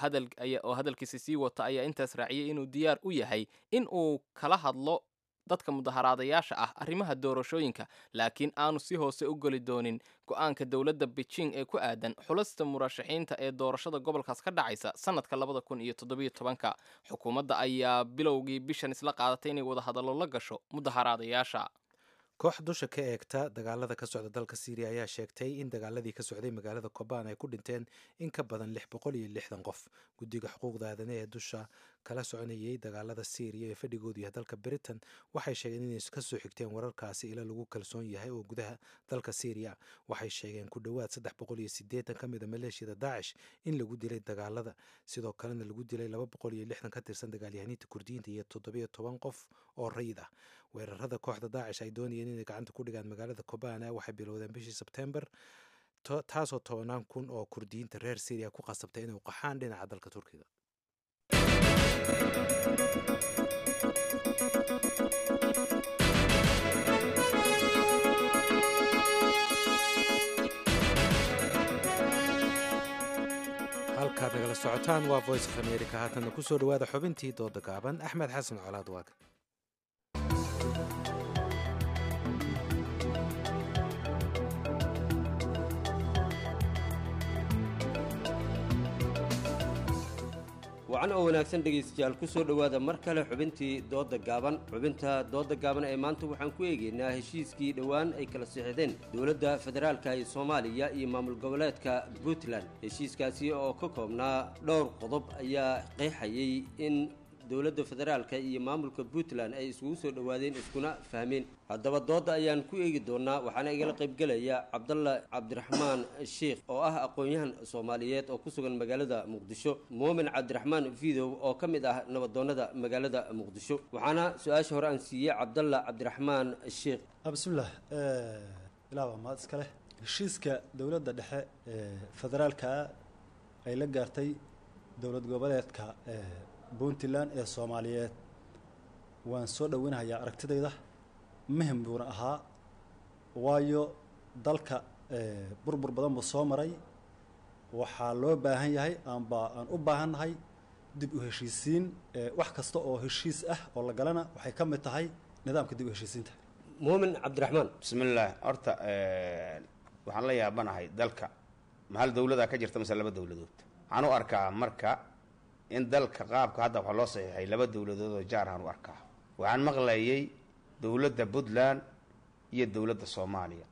hadalkiisa sii wata ayaa intaas raaciyey inuu diyaar u yahay in uu kala hadlo dadka mudaharaadayaasha ah arrimaha doorashooyinka, laakiin aanu si hoose u geli doonin go'aanka dowladda Beijing ee ku aadan xulasta murashaxiinta ee doorashada gobolkaas ka dhacaysa sanadka 2017. Xukuumadda ayaa bilowgii bishan isla qaadatay inay wadahadallo la gasho mudaharaadayaasha. Koox dusha ka eegta dagaalada ka socda dalka Siiriya ayaa sheegtay in dagaaladii ka socday magaalada Kobaan ay ku dhinteen in ka badan 660 qof. Guddiga xuquuqda aadanaha ee dusha kala soconayay dagaalada Siiriya ee fadhigoodu yahay dalka Britain waxay sheegeen inay ka soo xigteen wararkaasi ila lagu kalsoon yahay oo gudaha dalka Siiriya. Waxay sheegeen ku dhowaad 380 ka mid a maleeshiyada Daacish in lagu dilay dagaalada, sidoo kalena lagu dilay 260 ka tirsan dagaalyahaniinta Kurdiyiinta iyo 17 qof oo rayid ah. Weerarada kooxda Daacish ay doonayeen inay gacanta ku dhigaan magaalada Kobana waxay bilowdeen bishii Sebtembar, taasoo 10,000 oo Kurdiyiinta reer Siiriya ku qasabtay inay u qaxaan dhinaca dalka Turkiga. Halkaad nagala socotaan waa Voice of America. Haatanna kusoo dhawaada xubintii dooda gaaban. Axmed Xasan Colaad waaga. Wacan oo wanaagsan dhegaystayaal, ku soo dhowaada mar kale xubintii dooda gaaban. Xubinta dooda gaaban ee maanta waxaan ku eegaynaa heshiiskii dhowaan ay kala sixdeen dowladda federaalka ee Soomaaliya iyo maamul goboleedka Puntland. Heshiiskaasi oo ka koobnaa dhowr qodob ayaa qeexayay in dowladda federaalka iyo maamulka Puntland ay iskugu soo dhowaadeen iskuna fahmeen. Haddaba dooda ayaan ku eegi doonaa, waxaana igala qaybgelaya Cabdalla Cabdiraxmaan Sheikh oo ah aqoon-yahan Soomaaliyeed oo ku sugan magaalada Muqdisho, Muumin Cabdiraxmaan Fidow oo ka mid ah nabadoonnada magaalada Muqdisho. Waxaana su-aasha hore aan siiyey Cabdalla Cabdiraxmaan Sheikh. Bismillaah, ilaa waa mahad iska leh. Heshiiska dowladda dhexe ee federaalka ay la gaartay dowlad goboleedka Puntland ee Soomaaliyeed waan soo dhoweynahayaa. Aragtidayda muhim buuna ahaa, waayo dalka burbur badan buu soo maray. Waxaa loo baahan yahay amba aan u baahannahay dib u heshiisiin. Wax kasta oo heshiis ah oo la galana waxay ka mid tahay nidaamka dib u heshiisiinta. Muumin Cabdiraxmaan. Bismillaah, horta waxaan la yaabanahay dalka ma hal dowladaa ka jirta mise laba dowladood? Waxaan u arkaa marka in dalka qaabka hadda waxaa loo saxiixay laba dowladood oo jaar ahaan u arkaa. Waxaan maqlayay dowladda Puntland iyo dowladda Soomaaliya.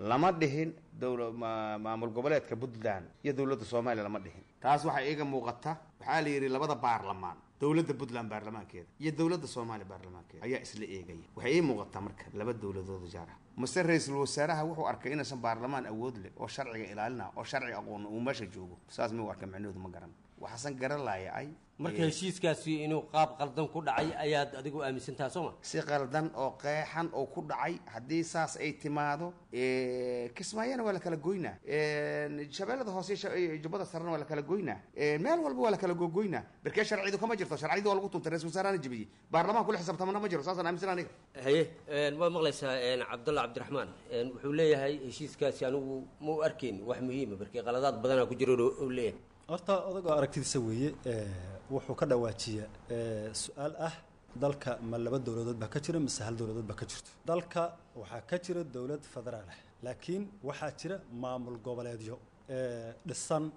Lama dhihin maamul goboleedka Puntland iyo dowladda Soomaaliya lama dhihin. Taas waxaa iiga muuqata, waxaa la yidhi labada baarlamaan, dowladda Puntland baarlamaankeeda iyo dowladda Soomaaliya baarlamaankeeda ayaa isla eegaya. Waxay ii muuqataa marka laba dowladood oo jaar ah. Mase ra-iisul wasaaraha wuxuu arkay inaysan baarlamaan awood leh oo sharciga ilaalina oo sharciga aqoona uu meesha joogo, saas miyuu arkay? Micnahoodu ma garan. Waxaasan garan laayacay. Marka heshiiskaasi inuu qaab qaldan ku dhacay ayaad adigu aaminsantaha, soo ma? Si qaldan oo qeexan oo ku dhacay. Haddii saas ay timaado, Kismaayana waa la kala goynaa, Shabeellada hoose iyo Jubbada sarena waa la kala goynaa, meel walba waa la kala gogoynaa. Barkee sharcidu kama jirto, sharciyadu waa lagu tuntay, ra-isul wasaarahana jebiyey, baarlamaanka kula xisaabtamana ma jiro. Saasaan aaminsan aniga. Haye, waad maqlaysaa Cabdalla Cabdiraxmaan wuxuu leeyahay heshiiskaasi anigu ma u arkayn wax muhiima, barkee qaladaad badanaa ku jiro uu leeyahay. Horta odagoo aragtidiisa weeye. Wuxuu ka dhawaajiya su-aal ah: dalka ma laba dowladood baa ka jira mise hal dowladood baa ka jirto? Dalka waxaa ka jira dowlad federaal ah, laakiin waxaa jira maamul goboleedyo dhisan.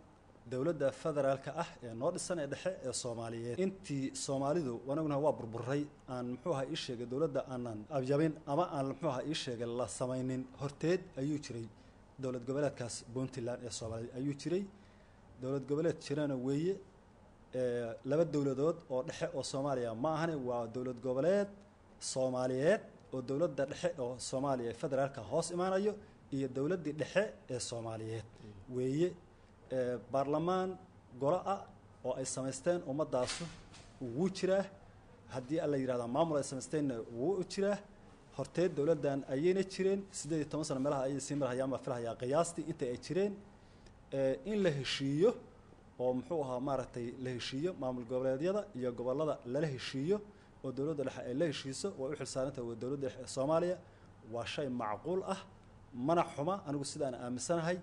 Dowladda federaalka ah ee noo dhisan ee dhexe ee Soomaaliyeed, intii Soomaalidu anaguna waa burburay aan muxuu ahaa ii sheegay dowladda aanan abyabin ama aan muxuu ahaa ii sheegay la samaynin horteed ayuu jiray dowlad goboleedkaas Puntland ee Soomaaliyeed ayuu jiray. Dowlad goboleed jirana weeye. Laba dowladood oo dhexe oo Soomaaliya ma ahane, waa dowlad goboleed Soomaaliyeed oo dowladda dhexe oo Soomaaliya ee federaalka hoos imaanayo iyo dowladdii dhexe ee Soomaaliyeed weeye. Baarlamaan golo ah oo ay samaysteen ummadaasu wuu jiraa, haddii alla yidhahda maamul ay samaysteenna wuu jiraa. Horteed dowladdan ayayna jireen 18 sano meelaha ayay sii marhayaan baa filahayaa qiyaastii inta ay jireen. In la heshiiyo oo muxuu ahaa maaragtay la heshiiyo maamul goboleedyada iyo gobollada lala heshiiyo oo dowladda dhexe ay la heshiiso, way u xilsaarantahay waa dowladda dhexe ee Soomaaliya. Waa shay macquul ah, mana xuma. Anigu sidaan aaminsanahay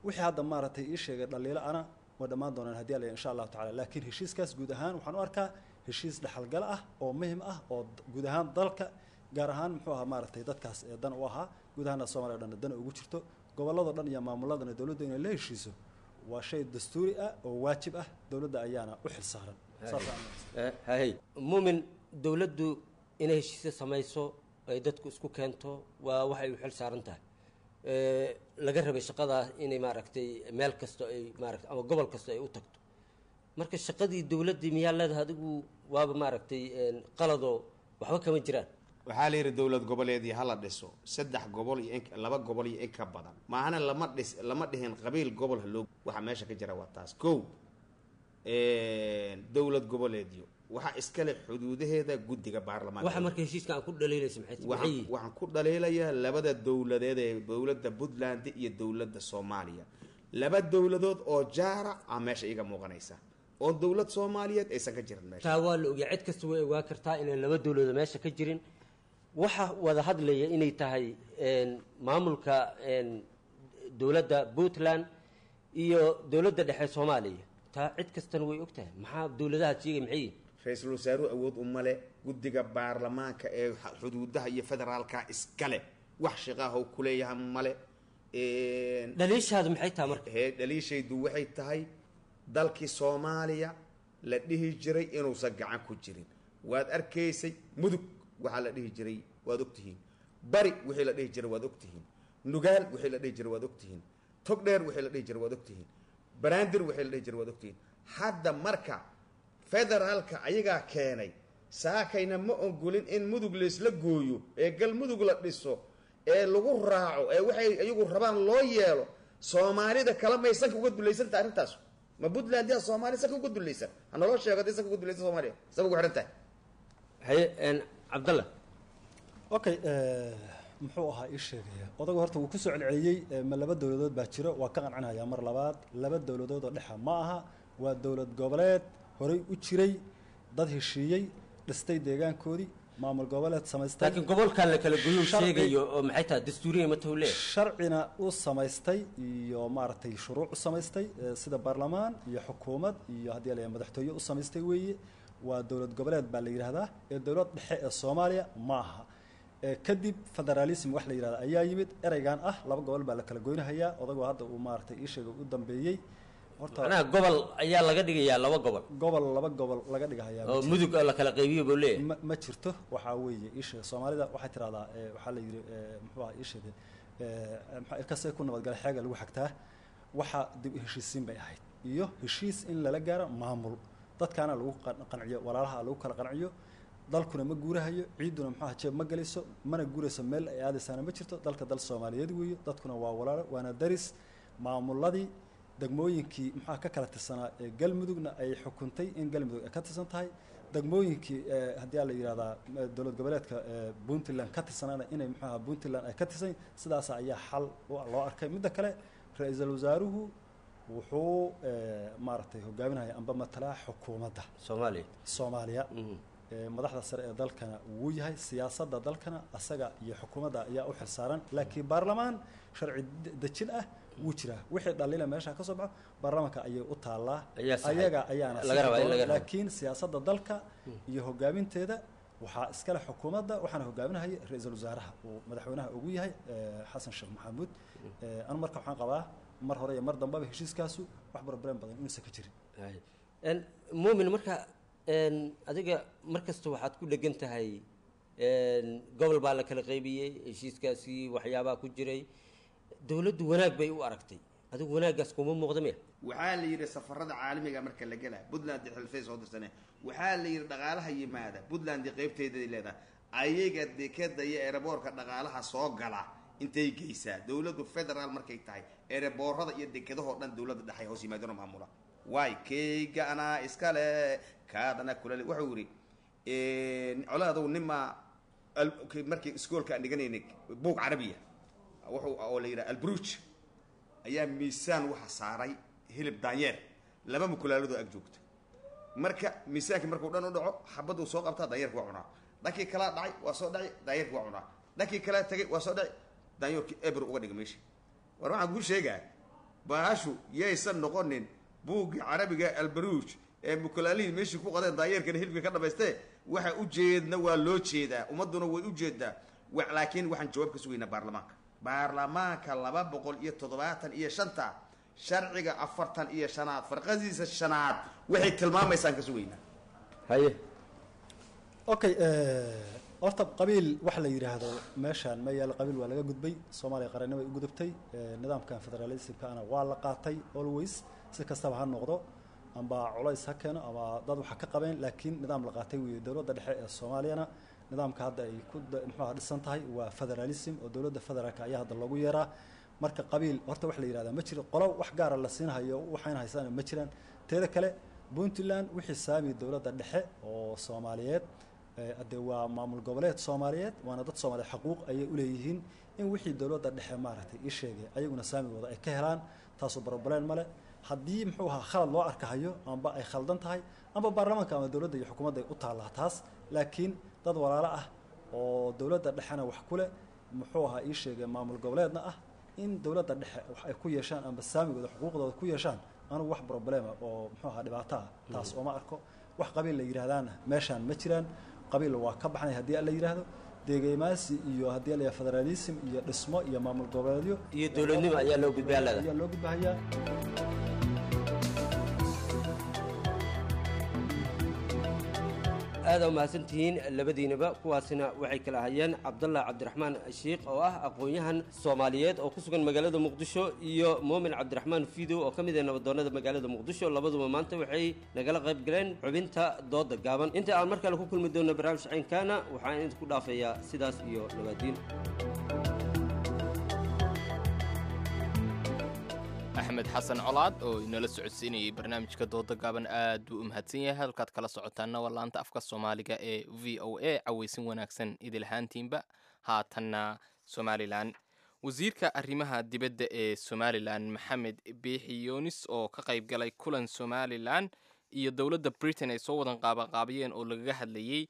wixii hadda maaragtay ii sheegay dhaliilo ana way dhammaan doonaan haddii alla insha Allahu tacaala. Laakiin heshiiskaas guud ahaan waxaan u arkaa heshiis dhexalgal ah oo muhim ah oo guud ahaan dalka, gaar ahaan muxuu ahaa maaragtay dadkaas ee dan u ahaa, guud ahaana Soomaaliya o dhan dan ugu jirto, gobolladoo dhan iyo maamuladana dowladda inay la heshiiso waa shay dastuuri ah oo waajib ah, dowladda ayaana u xilsaaran. Hay Muumin, dowladdu inay heshiisyo samayso ay dadku isku keento waa waxay u xil saaran tahay. Laga rabay shaqadaa inay maaragtay meel kasta ay maaragtay ama gobol kasta ay u tagto. Marka shaqadii dowladdii miyaa leedahay adigu waaba maaragtay qaladoo waxba kama jiraan? Waxaa la yidhi dowlad goboleedii hala dhiso 3 gobol iyo in 2 gobol iyo in ka badan maahana lama dhis, lama dhihin qabiil gobol haloo. Waxa meesha ka jira waa taas. Kow, dowlad goboleedyo waxaa iskale xuduudaheeda guddiga baarlamaanka. Waxa marka heshiiska aan ku dhaliilaysa maxay yihiin? Waxaan ku dhaliilayaa labada dowladeed ee dowladda Puntland iyo dowladda Soomaaliya, laba dowladood oo jaara ah meesha iiga muuqanaysa oo dowlad Soomaaliyeed aysan ka jirin meesha. Taa waa la ogyaa, cid kasta way ogaa kartaa inaan laba dowladood meesha ka jirin. Waxa wada hadlaya inay tahay maamulka dowladda Puntland iyo dowladda dhexe Soomaaliya, taa cid kastana way og tahay. Maxaa dowladaha sheegay maxay yihiin? Ra-iisul wasaaruhu awood uma le, guddiga baarlamaanka ee xuduudaha iyo federaalka iskale wax shaqaaha kuleeyaha male. Dhaliishaadu maxay tahay marka? Dhaliishaydu waxay tahay dalkii Soomaaliya la dhihi jiray inuusan gacan ku jirin. Waad arkaysay Mudug waxaa la dhihi jiray waad ogtihiin, Bari wixii la dhihi jiray waad ogtihiin, Nugaal wixii la dhihi jiray waad ogtihiin, Togdheer wixii la dhihi jiray waad ogtihiin, Baraandir wixii la dhihi jiray waad ogtihiin. Hadda marka federaalka ayagaa keenay, saakayna ma ogolin in Mudug laysla gooyo ee Galmudug la dhiso ee lagu raaco ee waxay iyagu rabaan loo yeelo. Soomaalida kala may sanka uga dulaysantaha arrintaas? Ma Puntland yaa Soomaaliya sanka uga dulaysan? Ha naloo sheego hadday sanka uga dulaysan Soomaaliya sanka ugu xidhan tahay. Haye Cabdalla. Okay, muxuu ahaa ii sheegaya odagu horta wuu kusoo celceliyey ma laba dowladood baa jiro. Waa ka qancinayaa mar labaad, laba dowladood oo dhexa ma aha, waa dowlad goboleed horey u jiray, dad heshiiyey, dhistay deegaankoodii, maamul goboleed samaystay. Laakiin gobolkan la kala goyuu sheegayo oo maxay tahay dastuuriya ma tahu leeyahay? Sharcina u samaystay iyo maaragtay shuruuc u samaystay, sida baarlamaan iyo xukuumad iyo haddii la madaxtooye u samaystay weeye. Waa dowlad goboleed baa la yidhaahdaa ee dowlad dhexe ee Soomaaliya ma aha. Kadib federalism wax la yidhahda ayaa yimid, ereygan ah laba gobol baa la kala goynahayaa. Odagu hadda uu maaragtay ii sheegay u dambeeyey horta macnaha gobol ayaa laga dhigayaa laba gobol, gobol laba gobol laga dhigahayaa oo Mudug oo la kala qaybiyo buu leeyahay. Ma jirto. Waxaa weeye ii sheegay Soomaalida waxay tiraahdaa waxaa la yidhi muxuu ahaa ii sheegay maxaa ilkasee ku nabadgalay xeega lagu xagtaa. Waxa dib u heshiisiin bay ahayd iyo heshiis in lala gaaro maamul dadkaana lagu qanciyo, walaalaha lagu kala qanciyo. Dalkuna ma guurahayo, ciiduna muxuu jeeb ma galayso, mana guurayso, meel ay aadaysaana ma jirto. Dalka dal Soomaaliyeed weeye, dadkuna waa walaalo waana daris. Maamuladii degmooyinkii muxuu ka kala tirsanaa ee Galmudugna ay xukuntay in Galmudug ay ka tirsan tahay, degmooyinkii haddii la yidhahdaa dowlad goboleedka Puntland ka tirsanaana inay muxuu Puntland ay ka tirsan, sidaas ayaa xal loo arkay. Midda kale, ra-iisul wasaaruhu wuxuu maaragtay hogaaminaya amba matalaa xukuumadda Soomaaliya, madaxda sare ee dalkana wuu yahay, siyaasadda dalkana asaga iyo xukuumadda ayaa u xilsaaran. Laakiin baarlamaan sharci dejin ah wuu jiraa, wixii dhalila meesha ka soo baxo baarlamaanka ayay u taallaa, ayaga ayaana. Laakiin siyaasadda dalka iyo hogaaminteeda waxaa iskale xukuumadda, waxaana hogaaminahaya ra-iisul wasaaraha uu madaxweynaha ugu yahay Xasan Sheekh Maxamuud. Anu marka waxaan qabaa mar hore iyo mar dambaba heshiiskaasu wax problem badan inuusan ka jirin. Muumin, marka adiga mar kasta waxaad ku dhegan tahay gobol baa la kala qaybiyey, heshiiskaasi waxyaabaha ku jiray dowladdu wanaag bay u aragtay, adigu wanaaggaas kuma muuqda miya? Waxaa la yidhi safarada caalamiga marka la gelaa Puntland xilfay soo dirsane, waxaa la yidhi dhaqaalaha yimaada Puntland qaybteeday leedahay, ayaga dekeda iyo eeraboorka dhaqaalaha soo gala intay geysaa dowladdu federaal markay tahay. Eeraboorada iyo dekedahoo dhan dowladda dhexay hoos yimaadano maamula waay keyga anaa iskale kaadana kulale. Wuxuu yidhi coladow nimaa Markii iskoolka aan dhiganaynay, buug carabiya wuxuu oo la yidhaha Albruj ayaa miisaan waxa saaray hilib daanyeer, laba mukulaaladoo ag joogta. Marka miisaankii markuu dhan u dhaco, xabaduu soo qabtaa, daanyeerka waa cunaa. Dhankii kalaa dhacay, waa soo dhacay, daanyeerka waa cunaa. Dhankii kalaa tagay, waa soo dhacay, daanyeerkii eber uga dhiga meesha. War waxaan kuu sheegaa, baashu yaysan noqonin buuggii carabiga Albaruuj ee mukulaalihii meeshii ku qadeen, daanyeerkana hilibka ka dhamaystee. Waxa ujeedna waa loo jeedaa, ummadduna way ujeedaa, laakiin waxaan jawaab ka sugaynaa baarlamaanka. Baarlamaanka 275-ta, sharciga 45aad farqadiisa shanaad waxay tilmaamaysaan ka sugaynaa. Haye. Okay, horta qabiil wax la yidhaahdo meeshaan ma yaalo. Qabiil waa laga gudbay. Soomaaliya qarannimo ay u gudubtay. Nidaamkan federalismkaana waa la qaatay always. Si kastaba ha noqdo, amba culays ha keeno ama dad waxa ka qabeen, laakiin nidaam la qaatay weeye. Dowladda dhexe ee Soomaaliyana nidaamka hadda ay ku muxuu dhisan tahay waa federalism, oo dowladda federaalka ayaa hadda loogu yeeraa. Marka qabiil horta wax la yidhahdaa ma jiro, qolo wax gaara la siinhayo waxayna haysaan ma jiraan. Teeda kale, Puntland wixii saami dowladda dhexe oo Soomaaliyeed, hadee waa maamul goboleed Soomaaliyeed, waana dad Soomaaliyeed, xaquuq ayay uleeyihiin in wixii dowladda dhexe maaragtay ii sheegay ayaguna saamigooda ay ka helaan. Taasoo problem male. Haddii muxuu ahaa khalad loo arkahayo amba ay khaldan tahay, amba baarlamaanka ama dowladda iyo xukuumadda ay u taallaa taas. Laakiin dad walaalo ah oo dowladda dhexena wax ku leh, muxuu ahaa ii sheegay, maamul goboleedna ah, in dowladda dhexe wax ay ku yeeshaan amba saamigooda xuquuqdooda ku yeeshaan, anugu wax problema oo muxuu ahaa dhibaato ah taas ooma arko. Wax qabiil la yidhaahdaana meeshaan ma jiraan. Qabiil waa ka baxnay haddii la yidhaahdo deegeymaasi iyo haddii la yidhahdo federalism iyo dhismo iyo maamul goboleedyo iyo dowladnimo ayaa loo gudbaa leedahay. Ayaa loo gudbahayaa. Aada u mahadsantihiin labadiinaba. Kuwaasina waxay kala ahayeen Cabdallah Cabdiraxmaan Shiikh oo ah aqoon-yahan Soomaaliyeed oo ku sugan magaalada Muqdisho, iyo Muumin Cabdiraxmaan Fiidow oo ka mid ah nabadoonnada magaalada Muqdisho. Labaduba maanta waxay nagala qayb galeen xubinta dooda gaaban. Inta aan mar kale ku kulmi doonno barnaamij caynkaana, waxaan idinku dhaafayaa sidaas iyo nabaadiin. Axmed Xasan Colaad oo inala socodsiinayay barnaamijka dooda gaaban aad buu u mahadsan yahay. Halkaad kala socotaana waa laanta afka Soomaaliga ee VOA. Cawaysin wanaagsan idil ahaantiinba. Haatanna Somalilan. Wasiirka arrimaha dibadda ee Somalilan, Maxamed Biixi Yoonis, oo ka qayb galay kulan Somalilan iyo dowladda Britain ay soo wadan qaabaqaabiyeen oo lagaga hadlayey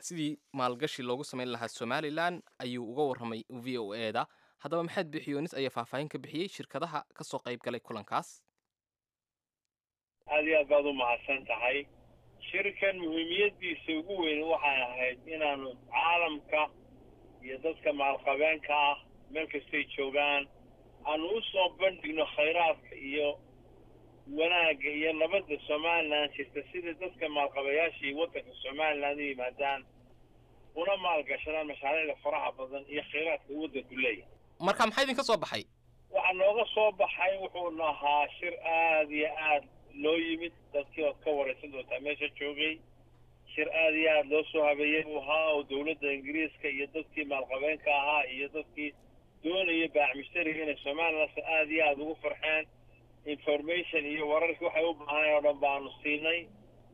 sidii maalgashi loogu samayn lahaa Somalilan, ayuu uga warramay VOA da. Haddaba Maxamed Biixi Yoonis ayaa faahfaahin ka bixiyey shirkadaha ka soo qayb galay kulankaas. Aad iyo aad baad u mahadsan tahay. Shirkan muhiimiyaddiisa ugu weyn waxay ahayd inaanu caalamka iyo dadka maalqabeenka ah meel kastay joogaan aanu u soo bandhigno khayraadka iyo wanaagga iyo nabadda Somalilan jirta, sida dadka maalqabayaashii waddanka Somalilan u yimaadaan una maalgashadaan mashaariicda faraha badan iyo khayraadka uu waddanku leeyahay. Marka maxaa idinka soo baxay? Waxaa nooga soo baxay wuxuuna ahaa shir aada iyo aad loo yimid, dadkii ood ka waraysan doontaa meesha joogay. Shir aada iyo aada loo soo habeeyey buu ahaa, oo dowladda Ingiriiska iyo dadkii maalqabeenka ahaa iyo dadkii doonaya baac mushtariga inay Somalilan aada iyo aada ugu farxeen. Information iyo wararkii waxay u baahaneen oo dhan baanu siinay,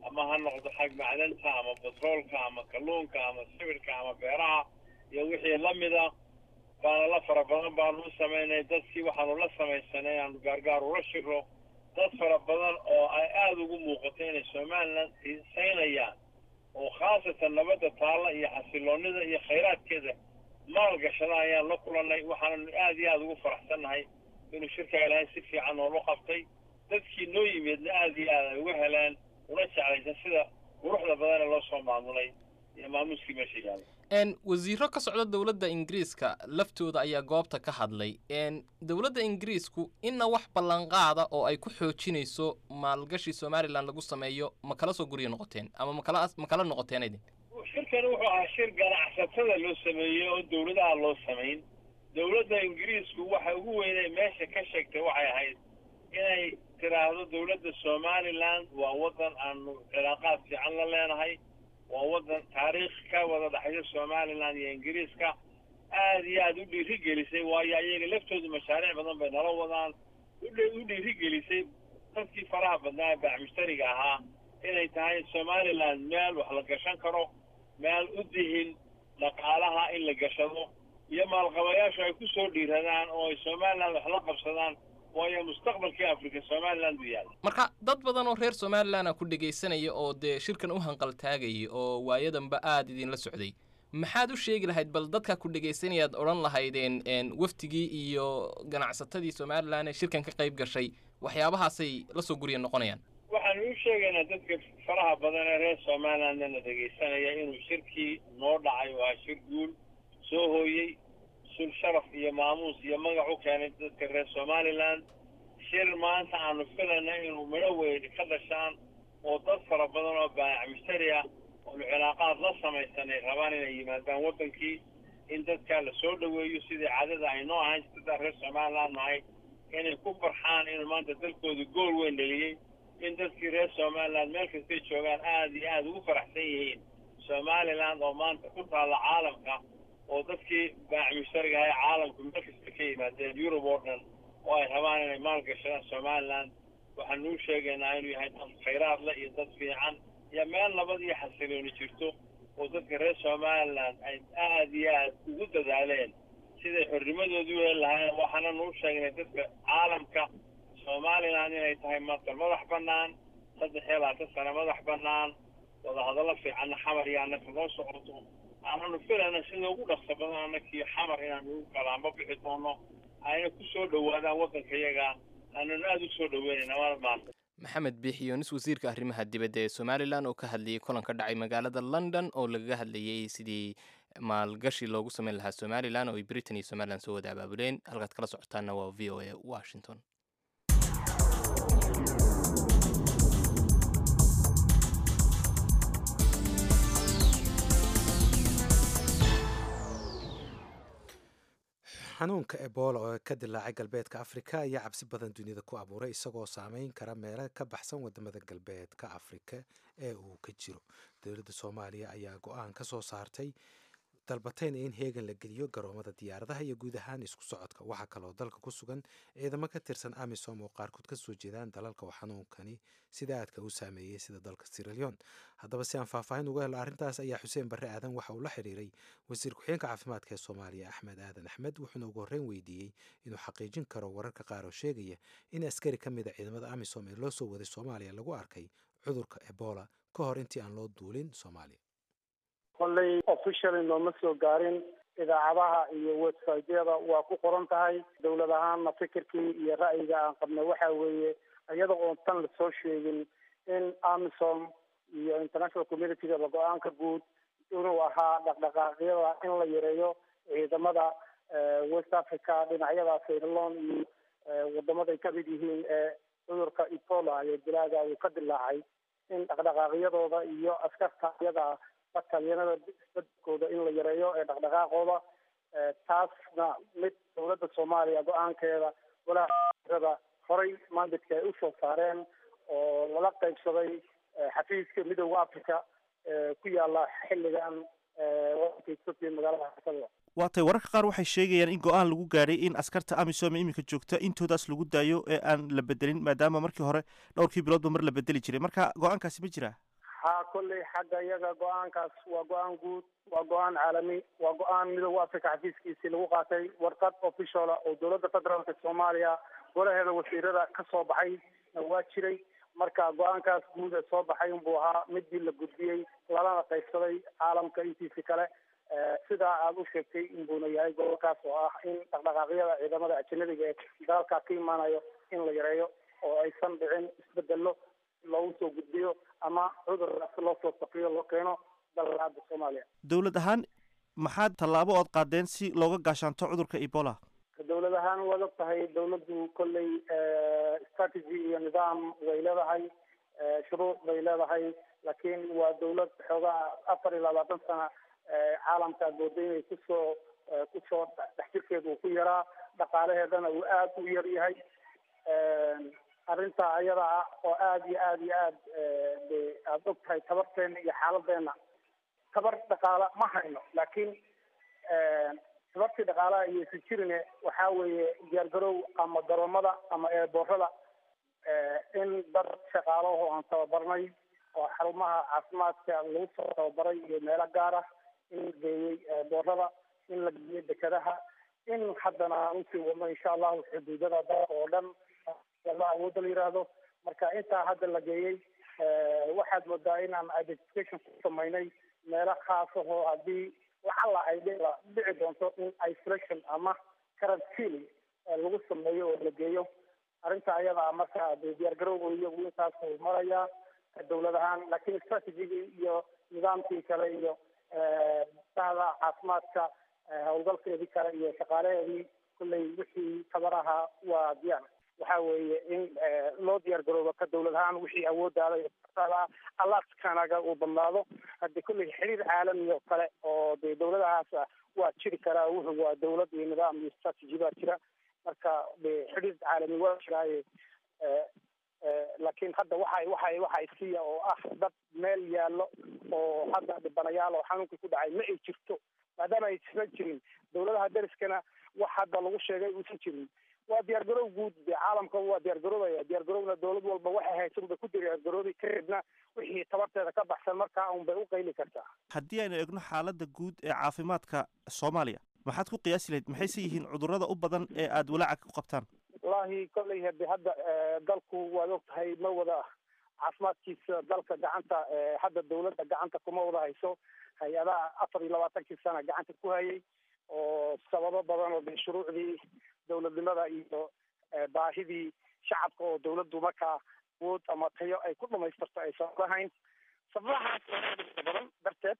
ama ha noqdo xag macdanta ama batroolka ama kalluunka ama sibirka ama beeraha iyo wixii la mida. Baana la fara badan baanu u samaynay dadkii. Waxaanu la samaysanay inaanu gaargaar ula shiro dad fara badan oo ay aada ugu muuqato inay Somalilan xiisaynayaan, oo khaasatan nabadda taalla iyo xasiloonida iyo khayraadkeeda maalgashada ayaan la kulannay. Waxaananu aada iyo aada ugu faraxsannahay inuu shirkaa Ilaahay si fiican noola qabtay, dadkii noo yimidna aada iyo aad ay uga heleen una jeclaysan sida quruxda badane loo soo maamulay iyo maamuuskii meesha yaalla. Wasiiro ka socda dowladda Ingiriiska laftooda ayaa goobta ka hadlay. Dowladda Ingiriisku inna wax ballanqaada oo ay ku xoojinayso maalgashi Somalilan lagu sameeyo ma kala soo guryo noqoteen ama makala noqoteen idin? Shirkani wuxuu ahaa shir ganacsatada loo sameeyey oo dowladaha loo samayn. Dowladda Ingiriisku waxa ugu weynay meesha ka sheegtay waxay ahayd inay tiraahdo dowladda Somalilan waa waddan aanu cilaaqaad fiican la leenahay, waa waddan taariikh ka wada dhexaysa Somalilan iyo Ingiriiska, aada iyo aada u dhiirigelisay, waayo ayaga laftoodu mashaariic badan bay nala wadaan. U dhiirigelisay dadkii faraha badnaa ee baac mushtariga ahaa inay tahay Somalilan meel wax la gashan karo, meel u dihin Dhaqaalaha in la gashado iyo maalqabayaashu ay ku soo dhiiradaan oo ay Somaliland wax la qabsadaan, waayo mustaqbalkii Afrika Somaliland buu yaalla. Marka dad badan oo reer Somaliland ku dhegaysanaya oo dee shirkan u hanqaltaagayay oo waayadanba aada idinla socday, maxaad u sheegi lahayd bal dadka ku dhegaysanayaad odhan lahaydeen waftigii iyo ganacsatadii Somaliland ee shirkan ka qayb gashay waxyaabahaasay la soo gurya noqonayaan? Waxaanu u sheegaynaa dadka faraha badan ee reer Somalilandna dhegaysanaya inuu shirkii noo dhacay waa shir guul soo hooyey, sul sharaf iyo maamuus iyo magac u keenay dadka reer Somaliland. Shir maanta aanu filayna inuu midho weyn ka dhashaan oo dad fara badan oo baayac mushtari ah oonu cilaaqaad la samaysanay rabaan inay yimaadaan waddankii, in dadkaa la soo dhoweeyo sidii caadada ay noo ahayn dadkaa reer Somaliland nahay, inay ku farxaan inuu maanta dalkooda gool weyn dheliyey, in dadkii reer Somaliland meel kastay joogaan aada iyo aada ugu faraxsan yihiin Somaliland oo maanta ku taalla caalamka, oo dadkii baac mushtariga ahay caalamku meel kasta ka yimaadeen, Yurub oo dhan, oo ay rabaan inay maalgashadaan Somaliland. Waxaanu u sheegaynaa inuu yahay dad khayraad leh iyo dad fiican iyo meel nabad iyo xasilooni jirto, oo dadka reer Somaliland ay aada iyo aada ugu dadaaleen siday xornimadoodii u heli lahaayeen. Waxaana nuu sheegnay dadka caalamka Somaliland inay tahay maanta madax bannaan, 23 sano madax bannaan, wadahadallo fiicanna Xamar iyo annaka noo socoto, aananu filayna sida ugu dhaqso badan annakii Xamar inaanu ugu kalaanba bixi doono, ayna ku soo dhowaadaan waddanka iyaga, aananu aada u soo dhoweynayna maanta. Maxamed Biixi Yoonis, wasiirka arrimaha dibadda ee Somalilan, oo ka hadlayay kulan ka dhacay magaalada London oo lagaga hadlayey sidii maalgashi loogu sameyn lahaa Somalilan oo ay Britain iyo Somalilan soo wada abaabuleen. Halkaad kala socotaanna waa VOA Washington. Xanuunka Ebola oo ka dilaacay galbeedka Afrika ayaa cabsi badan dunida ku abuuray, isagoo saameyn kara meelo ka baxsan wadamada galbeedka Afrika ee uu ka jiro. Dowladda Soomaaliya ayaa go-aan ka soo saartay dalbatayna in heegan la geliyo garoomada diyaaradaha iyo guud ahaan isku socodka. Waxaa kaloo dalka ku sugan ciidamo ka tirsan AMISOM oo qaarkood ka soo jeedaan dalalka oo xanuunkani sida aadka u saameeyey, sida dalka Sierra Leone. Haddaba si aan faahfaahin uga helo arrintaas ayaa Xuseen Barre Aadan waxa uu la xiriiray wasiir ku-xigeenka caafimaadka ee Soomaaliya, Axmed Aadan Axmed, wuxuuna ugu horreyn weydiiyey inuu xaqiijin karo wararka qaar oo sheegaya in askari ka mid a ciidamada AMISOM ee loo soo waday Soomaaliya lagu arkay cudurka Ebola ka hor intii aan loo duulin Soomaaliya. Kolley officially nooma soo gaarin, idaacadaha iyo websiteyada waa ku qoran tahay. Dowlad ahaanna fikirkii iyo ra'yiga aan qabnay waxa weeye, iyada oon tan lasoo sheegin, in AMISOM iyo international communitygaba go-aanka guud inuu ahaa dhaqdhaqaaqyada in la yareeyo ciidamada West Africa, dhinacyada Sierra Leone iyo wadamaday ka mid yihiin ee cudurka Ebola iyo dilaaga uu ka dilaacay, in dhaqdhaqaaqyadooda iyo askarta iyada batalyanada isbedkooda in la yareeyo ee dhaqdhaqaaqooda. Taasna mid dowladda Soomaaliya go-aankeeda walaaada horay mandadka ay usoo saareen oo lala qaybsaday xafiiska Midooda Africa ku yaala xilligan wadanka Ethiopia, magaalada Addis. Waa tay, wararka qaar waxay sheegayaan in go-aan lagu gaadhay in askarta AMISOM iminka joogta intoodaas lagu daayo ee aan la bedelin, maadaama markii hore dhowrkii biloodba mar la bedeli jiray. Marka go-aankaasi ma jiraa? Ha, kolley xagga iyaga go-aankaas waa go-aan guud, waa go-aan caalami, waa go-aan Midooda Africa xafiiskiisii lagu qaatay, warqad officiala oo dowladda federaalka Soomaaliya golaheeda wasiirada ka soo baxay waa jiray. Marka go-aankaas guud ee soo baxay unbuu ahaa midii la gudbiyey lalana qaybsaday caalamka intiisi kale. Sidaa aada u sheegtay inbuuna yahay gobolkaas oo ah in dhaqdhaqaaqyada ciidamada ajanabiga ee dalalkaa ka imaanayo in la yareeyo oo aysan dhicin isbedelo loogu soo gudbiyo ama cudurkaas loo soo saqiyo loo keeno dalka Soomaaliya. Dowlad ahaan maxaad tallaabo ood qaadeen si looga gaashaanto cudurka Ebola? Dowlad ahaan waad og tahay, dowladdu kolley strategy iyo nidaam way leedahay, shuruuc bay leedahay, laakiin waa dowlad xoogaa 24 sana caalamka mooda inay kusoo dhex jirkeedu uu ku yaraa, dhaqaalaheedana uu aada u yar yahay. Arrinta ayada ah oo aada iyo aada iyo aad de aada og tahay tabarteena iyo xaaladeena, tabar dhaqaala ma hayno, laakiin tabartii dhaqaalaha iyo isu jirine waxaa weeye diyaargarow ama garoomada ama eeboorada in dad shaqaalaho aan tababarnay oo xarumaha caafimaadka lagu soo tababaray iyo meelo gaar ah in la geeyey boorada, in la geeyey dekadaha, in haddana aan usii wadno insha Allahu xuduudada dalka oo dhan la awoodda la yidhaahdo. Marka intaa hadda la geeyey, waxaad moodaa inaan identification ku samaynay meelo khaas ahoo haddii lacala ay dhici doonto in isolation ama quarantine lagu sameeyo oo la geeyo arrinta ayadaa. Marka dee diyaargarowga iyagu intaasuu marayaa dowlad ahaan, laakiin strategigii iyo nidaamkii kale iyo bahda caafimaadka howlgalkeedii kale iyo shaqaalaheedii kulley wixii tabaraha waa diyaar. Waxa weeye in loo diyaar garoobo ka dowlad ahaan wixii awooddaada iyo alaadkanaga uu badnaado. Hadii kulley xiriir caalami oo kale oo dee dowladahaas waa jiri karaa, wuxuu waa dowlad iyo nidaam iyo strategy baa jira. Marka de xiriir caalami waa jiraaye, laakiin hadda waxa isiya oo ah dad meel yaallo oo hadda dhibanayaal oo xanuunkii ku dhacay ma ay jirto, maadaama aysan jirin dowladaha dariskana wax hadda lagu sheegay uusan jirin. Waa diyaargarow guud, dee caalamka waa diyaargaroobaya. Diyaargarowna dowlad walba waxay haysan bay ku diyaargaroobi, kadibna wixii tabarteeda ka baxsan markaa un bay u qayli kartaa. Haddii aynu eegno xaaladda guud ee caafimaadka Soomaaliya, maxaad ku qiyaasi lahayd? Maxayse yihiin cudurrada u badan ee aada walaaca ku qabtaan? Wallahi kolley hade hadda dalku waad og tahay, ma wada caafimaadkiisa dalka gacanta hadda dowladda gacanta kuma wada hayso. Hay-adaha 24-kii sana gacanta ku hayay oo sababo badan oo de shuruucdii dowladnimada iyo baahidii shacabka oo dowladdu markaa awood ama tayo ay ku dhamaystirto aysan lahayn, sababahaas badan darteed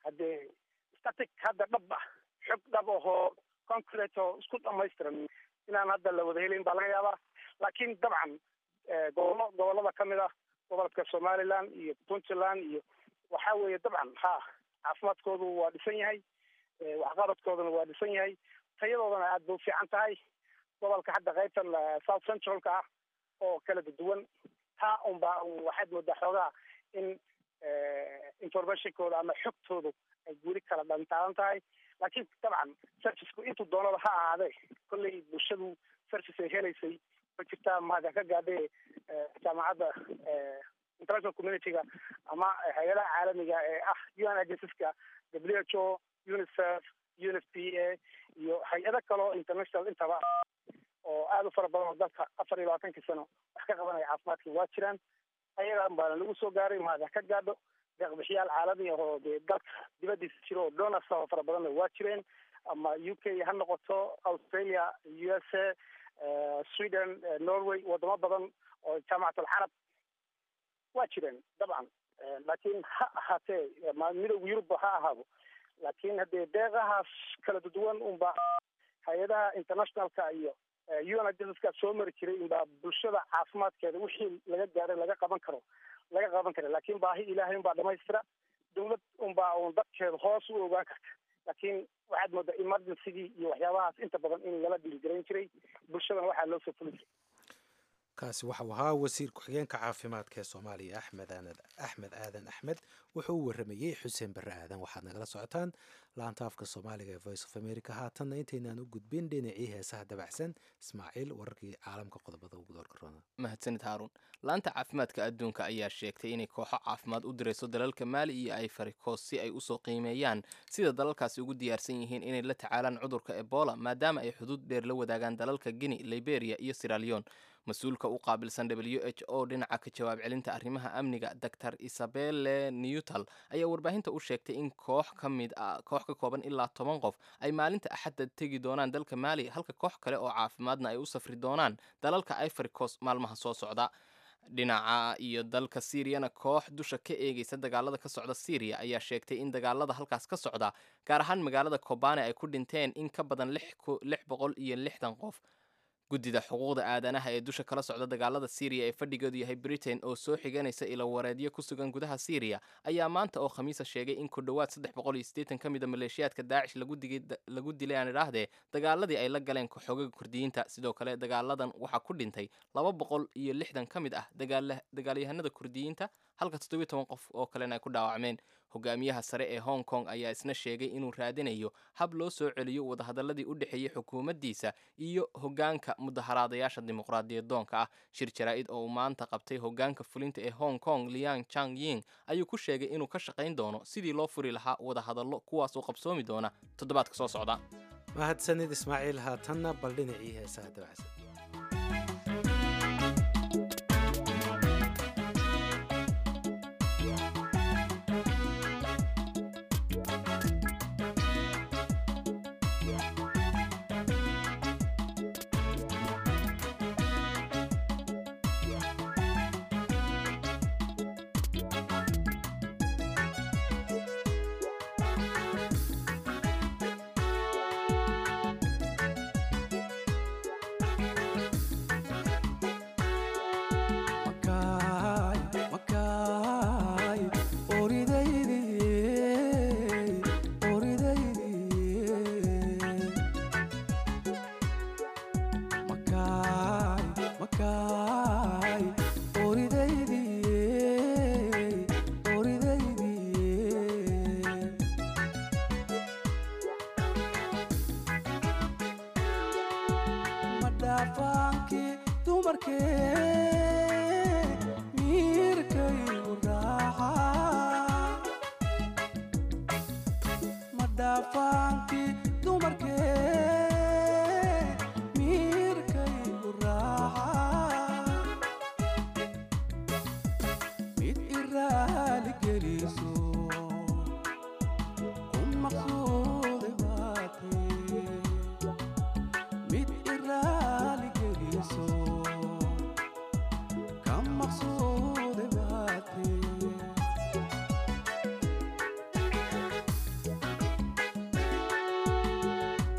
haddee static hadda dhab ah, xog dhab ahoo concrete oo isku dhamaystiran inaan hadda la wada helin baa laga yaabaa. Laakiin dabcan gobollo gobollada kamid ah, gobolka Somaliland iyo Puntland iyo waxa weeye dabcan ha caafimaadkoodu waa dhisan yahay, waxqabadkooduna waa dhisan yahay, tayadoodana aad bay u fiican tahay. Gobolka hadda qaybtan South Centralka ah oo kala duwan taa unbaa waxaad moodaa xoogaa in informationkooda ama xogtoodu ay weli kala dhantaalan tahay. Laakiin dabcan serviceku intuu doonaba ha ahaadee, kolley bulshadu service ay helaysay ma jirtaa mahad ka gaadhe jaamacadda international community-ga ama hay-adaha caalamiga ee ah UN agencies-ka, WHO, UNICEF, UNFPA iyo hay-ado kaleo international intaba oo aada u fara badan oo dalka 24-kii sano wax ka qabanaya caafimaadka waa jiraan. Ayagan baana lagu soo gaaray, mahad ka gaadho. Deeqbixiyaal caalami ah oo dee dalka dibadiisa jiro oo donors oo fara badanna waa jireen, ama UK ha noqoto, Australia, USA, Sweden, Norway, wadamo badan oo Jaamacat Alcarab waa jireen dabcan. Laakiin ha ahaatee Midowga Yurubba ha ahaado, laakiin haddee deeqahaas kala duwan unbaa hay-adaha internationalka iyo UN agencies-ka soo mari jiray unbaa bulshada caafimaadkeeda wixii laga gaaray laga qaban karo laga qaban kara. Laakiin baahi Ilaahay unbaa dhamaystira, dowlad unbaa un dadkeeda hoos u ogaan karta. Laakiin waxaad moodaa emergencygii iyo waxyaabahaas inta badan in lala dhiirigarayn jiray, bulshadana waxaa loo soo fuli jiray. Kaasi waxau ahaa wasiir ku-xigeenka caafimaadka ee Soomaaliya, Axmed Aadan Axmed. Wuxuu u waramayey Xuseen Barre Aadan. Waxaad nagala socotaan laanta afka Soomaaliga ee Voice of America. Haatanna intaynaan u gudbin dhinacii heesaha dabacsan, Ismaaciil, wararkii caalamka qodobada ugu doorka roona. Mahadsanid Haaruun. Laanta caafimaadka adduunka ayaa sheegtay inay kooxo caafimaad u dirayso dalalka Maali iyo Ivory Coast si ay usoo qiimeeyaan sida dalalkaasi ugu diyaarsan yihiin inay la tacaalaan cudurka Ebola, maadaama ay xuduud dheer la wadaagaan dalalka Guinea, Liberia iyo Sierra Leone. Mas-uulka u qaabilsan WHO dhinaca ka jawaab celinta arrimaha amniga, Dr Isabelle Newtal, ayaa warbaahinta u sheegtay in koox ka mid ah, koox ka kooban ilaa 10 qof ay maalinta Axadda tegi doonaan dalka Maali, halka koox kale oo caafimaadna ay u safri doonaan dalalka Ivory Coast maalmaha soo socda. Dhinaca iyo dalka Siiriyana, koox dusha ka eegaysa dagaalada ka socda Siiriya ayaa sheegtay in dagaalada halkaas ka socda, gaar ahaan magaalada Kobane, ay ku dhinteen in ka badan 660 qof. Guddida xuquuqda aadanaha ee dusha kala socda dagaalada Siiriya ee fadhigeedu yahay Britain oo soo xiganaysa ilawareedyo ku sugan gudaha Siiriya ayaa maanta oo Khamiisa sheegay in ku dhowaad 380 ka mida maleeshiyaadka Daacish lagu dilay, aan idhaahdee, dagaaladii ay la galeen xoogaga Kurdiyiinta. Sidoo kale dagaaladan waxaa ku dhintay 260 ka mid ah dagaalyahanada Kurdiyiinta, halka 17 qof oo kalena ay ku dhaawacmeen. Hogaamiyaha sare ee Hong Kong ayaa isna sheegay inuu raadinayo hab loo soo celiyo wadahadalladii u dhexeeyey xukuumaddiisa iyo hoggaanka mudaharaadayaasha dimuqraadiyadoonka ah. Shir jaraa'id oo uu maanta qabtay hoggaanka fulinta ee Hong Kong Liang Chang Ying ayuu ku sheegay inuu ka shaqayn doono sidii loo furi lahaa wadahadallo, kuwaas oo qabsoomi doona toddobaadka soo socda. Mahadsanid Ismaaciil. Haatanna bal dhinacii heesaha dabacsan.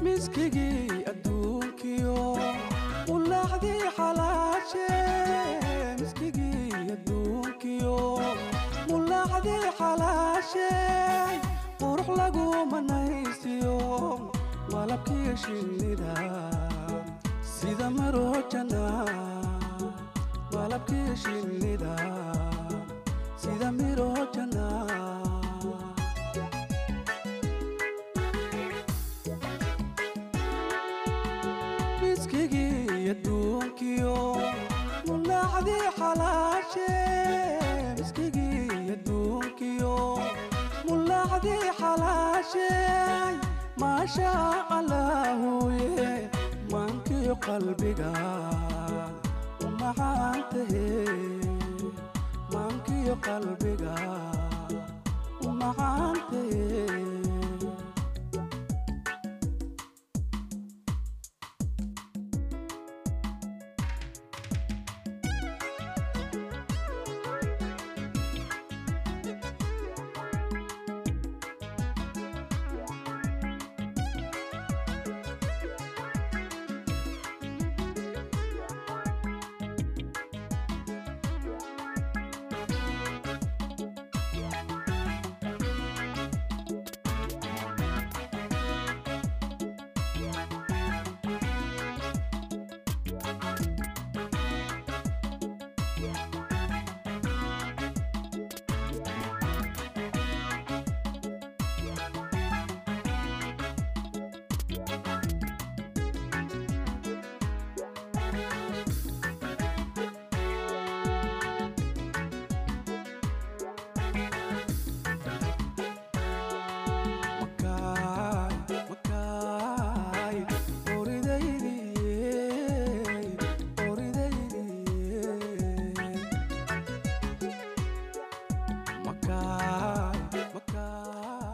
Miskigii adduunkiyo ulaacdii xalaashe, miskigii adduunkiyo mulaacdii xalaashe, qurux lagu manaysiyo malabkii shinnida sida marojana, malabkii shinnida sida mirojana. Miskigii adduunkiyo mulaacdii xalaashe, miskigii adduunkiyo mulaacdii xalaashe, maasha allaahuye maankiyo qalbiga u macaantahe, maankiyo qalbiga u macaantahe.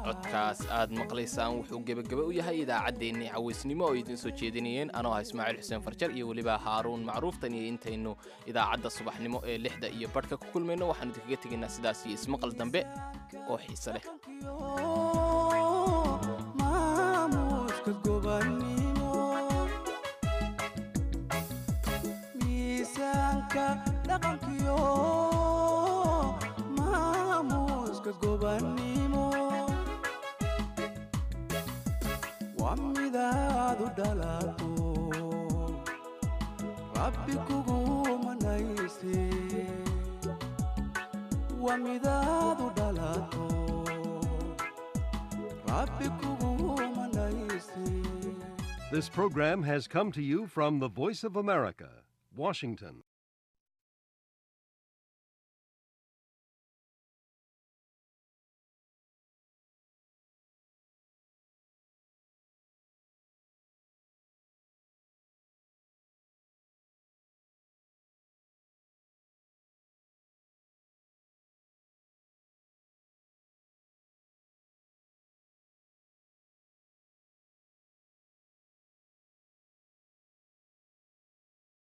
Codkaas aad maqlaysaan wuxuu gebagaba u yahay idaacaddeenii cawaysnimo oo idiin soo jeedinayeen anoo ah Ismaaciil Xuseen Farjar iyo weliba Haaruun Macruuftan, iyo intaynu idaacadda subaxnimo ee 6:30 ku kulmayno, waxaanu idinkaga tegaynaa sidaas iyo ismaqal dambe oo xiise leh. Maamuuska gobannimo, miisaanka dhaqankiyo, maamuuska gobannimo waa midaad u dhalato Rabbi kugu manayse, waa midaad u dhalato. Rabbi kugu manayste. This program has come to you from the Voice of America, Washington.